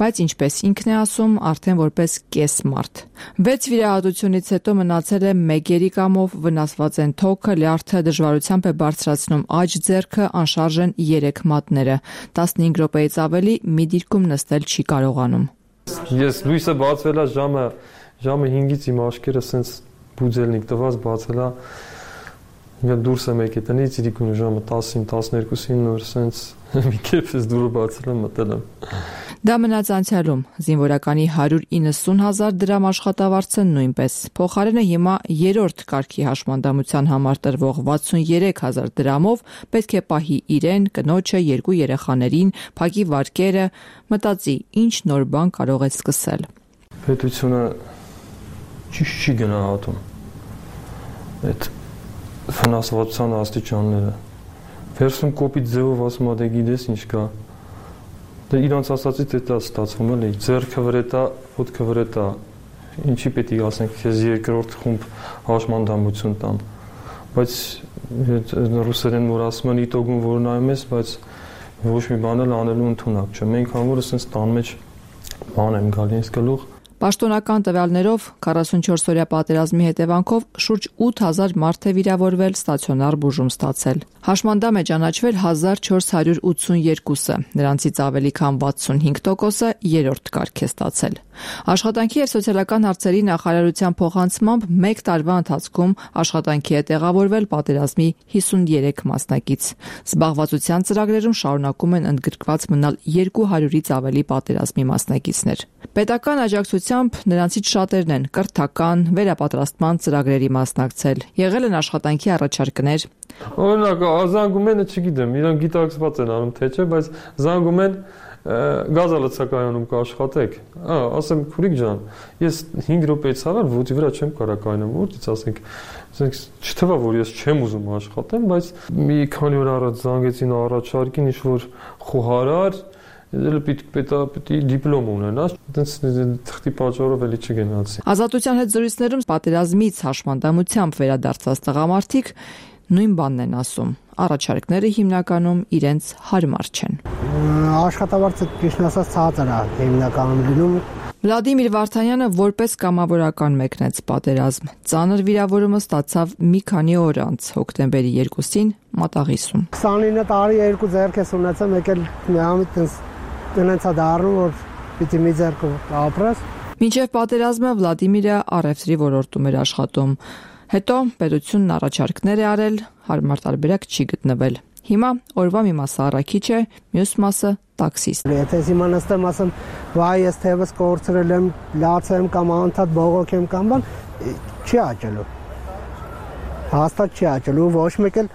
[SPEAKER 10] բայց ինչպես ինքն է ասում, արդեն որպես կես մարդ։ 6 վիրահատությունից հետո մնացել է 1 երիկամով, վնասված են թոքը, լյարդը, դժվարությամբ է բարձրացնում աջ ձեռքը, անշարժ են 3 մատները, 15 րոպեից ավելի մի դիրքում նստել չի կարողանում։
[SPEAKER 9] Ես լույսը բացվել է ժամը 5-ից իմ աչքերը սենց բուձելնիկ տված բացել է։ Ես դուրս եմ եկել տնից, իրիկուն ժամը 10-ին, 12-ին նոր սենց մի կեփս դուրս բացել եմ մտել եմ։
[SPEAKER 10] Դա մնաց անցյալում, զինվորականի 190,000 դրամ աշխատավարձը նույնպես։ Փոխարենը հիմա 3-րդ կարգի հաշմանդամության համար տրվող 63,000 դրամով պետք է պահի իրեն, կնոջը, 2 երեխաներին, փակի վարկերը, մտածի ինչ նոր բան կարող է սկսել։
[SPEAKER 9] Պետությունը ճիշտ չի գնահատում այդ ֆինանսավորության աստիճանները։ Վերցում կոպիտ ձևով ասում դե գիտես ինչ կա։ Դե իրանց ասածից դա ստացվում էլի, ձեռքը վրա տա, ոտքը վրա տա։ Ինչի պետք է ասենք, քեզ երկրորդ խումբ հաշմանդամություն տամ։ Բայց ռուսերեն որ ասում են իտոգում որ նայում ես, բայց ոչ մի բան էլ անելու ընդունակ չէ։ Մենք համորը sense տան մեջ բան եմ գալի ինձ գլուխ։
[SPEAKER 10] Պաշտոնական տվյալներով 44-օրյա պատերազմի հետևանքով շուրջ 8000 մարդ է վիրավորվել, ստացիոնար բուժում ստացել։ Հաշմանդամ է ճանաչվել 1482-ը, նրանցից ավելի քան 65%-ը 3-րդ կարգ է ստացել։ Աշխատանքի եւ սոցիալական հարցերի նախարարության փոխանցմամբ 1 տարվա ընթացքում աշխատանքի է տեղավորվել պատերազմի 53 մասնակից։ Զբաղվածության ծրագրերում շարունակում են ընդգրկված մնալ 200-ից ավելի պատերազմի մասնակիցներ։ Պետական աջակցությամբ նրանցից շատերն են կրթական, վերապատրաստման ծրագրերի մասնակցել։ Եղել են աշխատանքի առաջարկներ։
[SPEAKER 9] Օրինակ, զանգում են, չգիտեմ, իրանք գիտակցված են անում թե չէ, բայց զանգում են գազալցակայանում կաշխատեք։ Ասեմ, քուրիկ ջան, ես 5 րոպեից առաջ ոտի վրա չեմ կարող կայնեմ, որտից ասենք, չթվա որ ես չեմ ուզում աշխատեմ, բայց մի քանի օր առաջ զանգեցին առաջարկին ինչ-որ խոհարար, պետք դիպլոմ ունենաս, այդպես թղթի պատճառով էլի չգնացի։
[SPEAKER 10] Ազատության հետ զրույցներում պատերազմից հաշմանդամությամբ վերադարձած տղամարդիկ նույն բանն են ասում։ Առաջարկները հիմնականում իրենց հարմար չեն։
[SPEAKER 11] Աշխատավարձը ճիշտ ասած ցածր է հիմնականում լինում։
[SPEAKER 10] Վլադիմիր Վարդանյանը որպես կամավորական մեկնեց պատերազմ։ Ծանր վիրավորումը ստացավ մի քանի օր անց, հոկտեմբերի 2-ին Մատաղիսում։
[SPEAKER 11] 29 տարի 2 ձեռք ես ունեցել, եկել միամիտ տնեցա դառնում, որ պիտի մի ձեռքով ապրես։
[SPEAKER 10] Մինչև պատերազմը Վլադիմիրը առևտրի ոլորտում էր աշխատում։ Հետո պետությունն առաջարկներ է արել, հարմար տարբերակ չի գտնվել։ Հիմա օրվա մի մասը առաքիչ է, մյուս մասը տաքսիստ։
[SPEAKER 11] Եթե հիմա նստեմ ասեմ, վայ ես թևս կորցրել եմ, լացեմ կամ անդադ բողոքեմ կամ բան, չի աճելու։ Հաստատ չի աճելու, ոչ մեկ էլ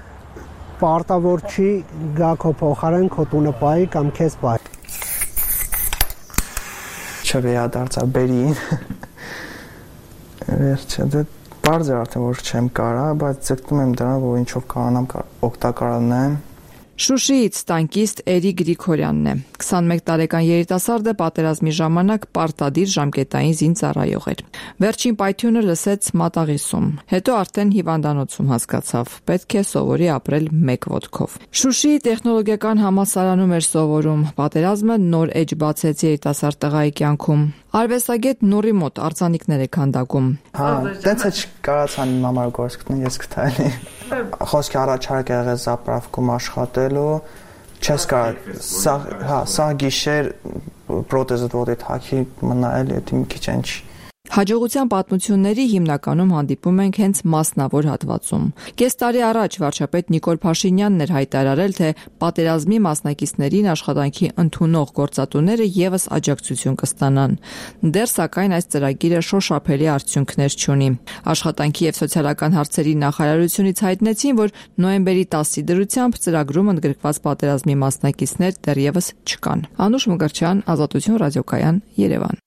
[SPEAKER 11] պարտավոր չի գա քո փոխարեն քո տունը պահի կամ քեզ պահի։
[SPEAKER 12] Չվերադարձա բերին։ Վերջը դե Պարզ է արդեն որ չեմ կարա, բայց ձգտում եմ դրան, որ ինչով կարողանամ օգտակար լինեմ։
[SPEAKER 10] Շուշիից տանկիստ Էրիկ Գրիգորյանն է։ 21 տարեկան երիտասարդը պատերազմի ժամանակ պարտադիր ժամկետային զինծառայող էր։ Վերջին պայթյունը լսեց Մատաղիսում։ Հետո արդեն հիվանդանոցում հասկացավ, պետք է սովորի ապրել մեկ ոտքով։ Շուշիի տեխնոլոգիական համալսարանում էր սովորում։ Պատերազմը նոր էջ բացեց երիտասարդ տղայի կյանքում։ Արվեստագետ Նուրի մոտ արձանիկներ է քանդակում։
[SPEAKER 12] Դենց է չկարացան իմ համար գործ գտնել, ես գտալի։ Խոսքի առաջարկ է եղել զապրավկում աշխատելու, չես կարող, սա գիշեր պրոթեզը ոտի թակի մնալ, դա մի քիչ ինչ։
[SPEAKER 10] Հաջողության պատմությունների հիմնականում հանդիպում ենք հենց մասնավոր հատվածում։ Կես տարի առաջ վարչապետ Նիկոլ Փաշինյանն էր հայտարարել, թե պատերազմի մասնակիցներին աշխատանքի ընդունող գործատուները եւս աջակցություն կստանան։ Դեռ սակայն այս ծրագիրը շոշափելի արդյունքներ չունի։ Աշխատանքի եւ սոցիալական հարցերի նախարարությունից հայտնեցին, որ նոյեմբերի 10-ի դրությամբ ծրագրում ընդգրկված պատերազմի մասնակիցներ դեռևս չկան։ Անուշ Մկրտչյան, Ազատություն ռադիոկայան, Երևան։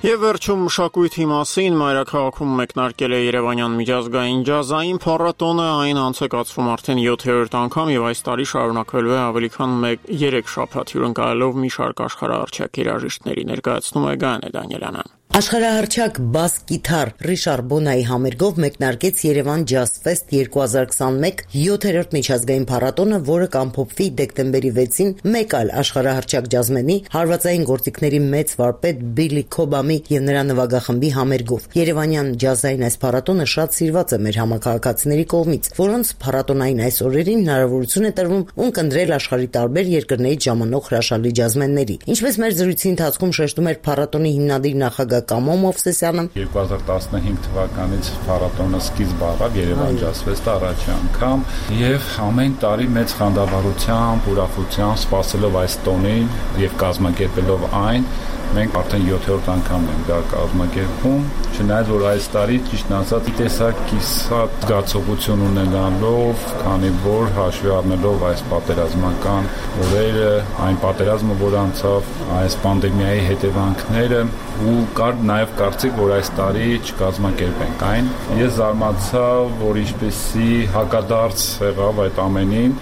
[SPEAKER 1] Եվ վերջում մշակույթի մասին մայրաքաղաքում մեկնարկել է Երևանյան միջազգային ջազային փառատոնը, այն անցկացվում արդեն 7-րդ անգամ եւ այս տարի շարունակվելու է ավելի քան 3 շաբաթ հյուրընկալելով մի շարք աշխարհահռչակ երաժիշտների, ներկայացնում է Գայանե Դանիելյանն։
[SPEAKER 6] Աշխարհահռչակ բաս գիտար Ռիշար Բոնայի համերգով մեկնարկեց Երևան Ջազ Ֆեստ 2021 7-րդ միջազգային փառատոնը, որը կամփոփվի դեկտեմբերի 6-ին մեկ այլ աշխարհահռչակ ջազմենի հարվածային գործիքների մեծ վարպետ Բիլի Քոբամի եւ նրա նվագախմբի համերգով։ Երևանյան ջազային այս փառատոնը շատ սիրված է մեր համակարգացիների կողմից, որոնց փառատոնային այս օրերին հնարավորություն է տրվում ունկնդրել աշխարհի տարբեր երկրներից ժամանող հրաշալի ջազմենների։ Ինչպես մեր զրույցի ընթացքում շեշտում էր փառատոնի հիմնադիր նախագահ Կամո Մովսեսյանը,
[SPEAKER 8] 2015 թվականից փառատոնը սկիզբ առավ Երևան Ջազ Ֆեստը առաջի անգամ եւ ամեն տարի մեծ խանդավառությամբ, ուրախությամբ սպասելով այս տոնին եւ կազմակերպելով այն, մենք արդեն 7-րդ անգամն ենք դա կազմակերպում, չնայած որ այս տարի ճիշտ ասած տեսակ կիսատ զգացողություն ունենալով, քանի որ հաշվի առնելով այս պատերազմական օրերը, այն պատերազմը, որ անցավ, այս պանդեմիայի հետևանքները ու կար նաև կարծիք, որ այս տարի չկազմակերպենք այն։ Ես զարմացա, որ ինչպեսի հակադարձ եղավ այդ ամենին,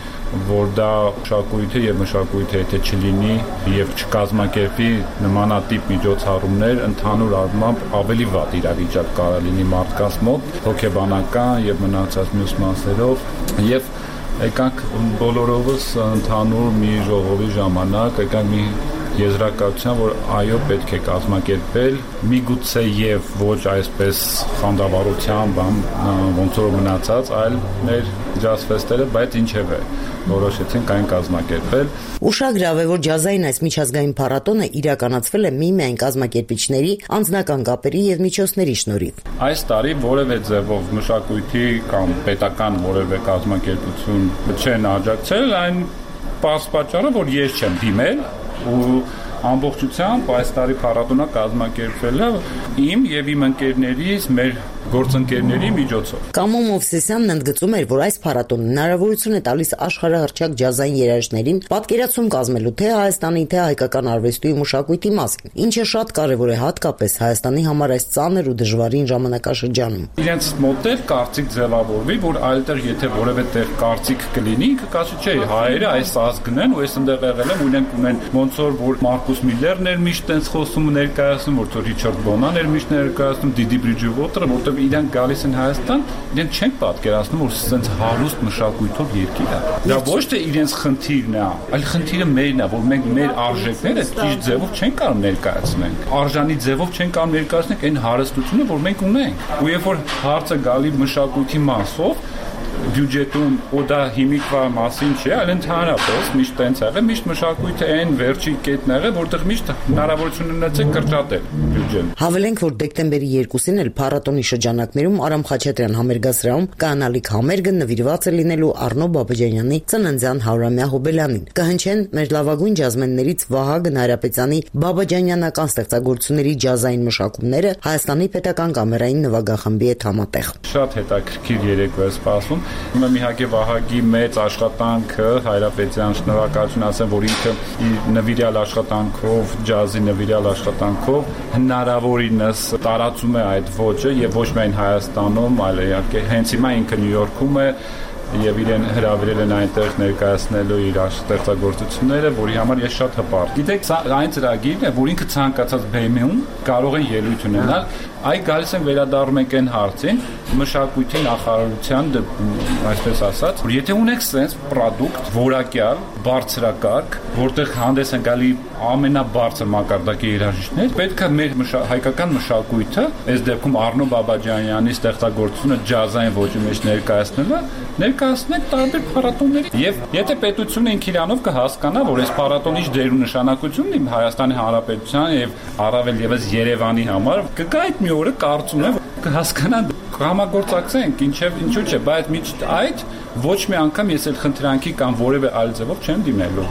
[SPEAKER 8] որ դա մշակույթը եւ մշակույթը եթե չլինի եւ չկազմակերպի նմանատիպ միջոցառումներ, ընդհանուր առմամբ ավելի վատ իրավիճակ կարող լինի մարդկանց մոտ, հոգեբանական եւ մնացած մյուս մասերով եւ եկանք բոլորովս ընդհանուր մի ժողովի ժամանակ եկանք մի եզրակացության, որ այո պետք է կազմակերպել, միգուցե եւ ոչ այսպես խանդավառությամբ, ոնց որ մնացած, այլ մեր ջազ ֆեստերը, բայց ինչևէ որոշեցինք այն կազմակերպել։
[SPEAKER 6] Ուշագրավ է, որ ջազային այս միջազգային փառատոնը իրականացվել է միմիայն կազմակերպիչների, անձնական կապերի եւ միջոցների շնորհիվ։
[SPEAKER 8] Այս տարի որևէ ձևով մշակույթի կամ պետական որևէ կազմակերպություն չեն աջակցել, այն պատճառը, որ ես չեմ դիմել ու ամբողջությամբ այս տարի փառատոնը կազմակերպվել է իմ եւ իմ ընկերներից, մեր գործընկերների միջոցով։
[SPEAKER 6] Կամո Մովսեսյանն ընդգծում էր, որ այս փառատոնը հնարավորություն է տալիս աշխարհահռչակ ջազային երաժիշտներին պատկերացում կազմելու թե Հայաստանի, թե հայկական արվեստի ու մշակույթի մասին, ինչը շատ կարևոր է հատկապես Հայաստանի համար այս ծանր ու դժվարին ժամանակաշրջանում։
[SPEAKER 8] Իրենց մոտ էլ կարծիք ձևավորվի, որ այլտեղ եթե որևէ տեղ կարծիք կլինի, կասի չէ, հայերը այս ազգն են ու այս ընդեղ եղել են, ունեն ոնց որ Մարկուս Միլլերն էր միշտ տենց խոսում ներկայացնում, որ Ռիչարդ Բոնան էր միշտ ներկայացնում, Դիդի Բրիջվոտերը, որտեղ իրենք գալիս են Հայաստան, իրենք չեն պատկերացնում, որ սենց հարուստ մշակույթով երկիր է։ Դա ոչ թե իրենց խնդիրն է, այլ խնդիրը մերն է, որ մենք մեր արժեքները ճիշտ ձևով չենք կարող ներկայացնենք։ Արժանի ձևով չենք կարող ներկայացնել այն հարստությունը, որ մենք ունենք։ Ու երբ որ հարցը գալի մշակույթի մասով, բյուջետում ու դա հիմիկվա մասին չէ, այլ ընդհանրապես միշտ տենց եղել, միշտ մշակույթը այն վերջի կետն եղել, որտեղ միշտ հնարավորություն ունեցեք կրճատել բյուջեն։
[SPEAKER 6] Հավելենք, որ դեկտեմբերի 2-ին էլ փառատոնի շրջանակներում Արամ Խաչատրյան համերգասրահում կանալիք համերգը նվիրված է լինելու Առնո Բաբաջանյանի ծննդյան 100-ամյա հոբելյանին։ Կհնչեն մեր լավագույն ջազմեններից Վահագն Հայրապետյանի բաբաջանյանական ստեղծագործությունների ջազային մշակումները Հայաստանի պետական կամերային նվագախմբի հետ համատեղ։
[SPEAKER 8] Շատ հետաքրքիր երեկո է սպասում։ Ուրեմն իհարկե Վահագի մեծ աշխատանքը Հայրապետյան շնորհակալություն ասեմ, որ ինքը իր նվիրյալ աշխատանքով, ջազի նվիրյալ աշխատանքով հնարավորինս տարածում է այդ ոճը եւ ոչ միայն Հայաստանում, այլ իհարկե հենց հիմա ինքը Նյու Յորքում է եւ իրեն հրավիրել են այնտեղ ներկայացնելու իր ստեղծագործությունները, որի համար ես շատ հպարտ։ Գիտեք, սա այն ծրագիրն է, որ ինքը ցանկացած բեմում կարող են ելույթ ունենալ։ Այ գալիս են վերադառնում ենք այն հարցին, մշակույթի նախարարության, այսպես ասած, որ եթե ունեք sense product, որակյալ, բարձրակարգ, որտեղ հանդես են գալի ամենաբարձր մակարդակի երաժիշտներ, պետք է մեր հայկական մշակույթը, այս դեպքում Առնո Բաբաջանյանի ստեղծագործությունը ջազային ոճի մեջ ներկայացնենք տարբեր փառատոների։ Եվ եթե պետությունը ինքն իրանով կհասկանա, որ այս փառատոնի դեր ու նշանակությունն իմ Հայաստանի Հանրապետության եւ առավել եւս Երևանի համար, կգա այդ մի օրը կարծում եմ կհասկանան, կհամագործակցենք, ինչու՞ չէ, բայց միշտ այդ ոչ մի անգամ ես էլ խնդրանքի կամ որևէ այլ ձևով չեմ դիմելու։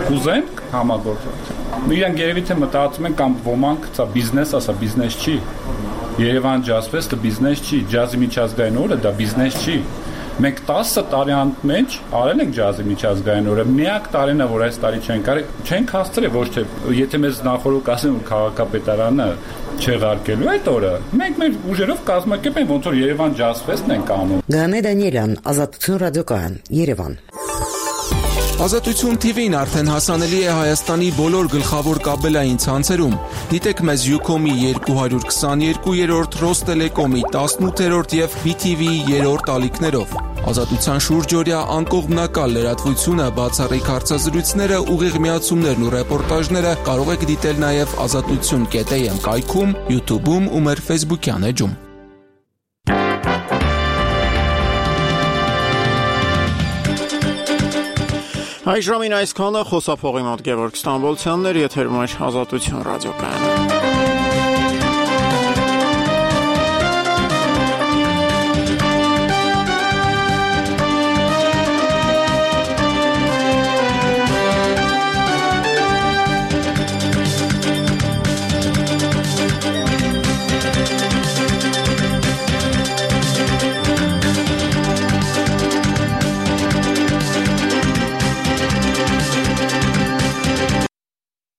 [SPEAKER 8] Կուզեն համագործակցենք։ Իրանք երևի թե մտածում են կամ ոմանք, սա բիզնես է, սա բիզնես չի։ Երևան Ջազ Ֆեստը բիզնես չի, ջազի միջազգային օրը դա բիզնես չի։ Մենք 10 տարի անց արել ենք ջազի միջազգային օրը, միակ տարին է, որ այս տարի չենք հասցրել, ոչ թե եթե մեզ նախորդ ասեն, որ քաղաքապետարանը չեղարկելու այդ օրը մենք մեր ուժերով կազմակերպենք ոնց որ Երևան Jazz Fest-ն ենք անում։
[SPEAKER 6] Գանե Դանիելյան, Ազատություն ռադիոկայան, Երևան։
[SPEAKER 13] Ազատություն TV-ն արդեն հասանելի է Հայաստանի բոլոր գլխավոր կաբելային ցանցերում։ Դիտեք մեզ Ucom-ի 222-րդ, Ռոստելեկոմի 18-րդ եւ BTV-ի 3-րդ ալիքներով։ Ազատության շուրջօրյա անկողմնակալ լրատվությունը, բացառիկ հարցազրույցները, ուղիղ միացումներն ու ռեպորտաժները կարող եք դիտել նաեւ azatutun.am կայքում, YouTube-ում ու մեր Facebook-յան էջում։
[SPEAKER 1] Այժմին այսքանը խոսափողի մոտ Գևորգ Ստամբոլցյանն էր, եթերում էր Ազատություն ռադիոկայանը։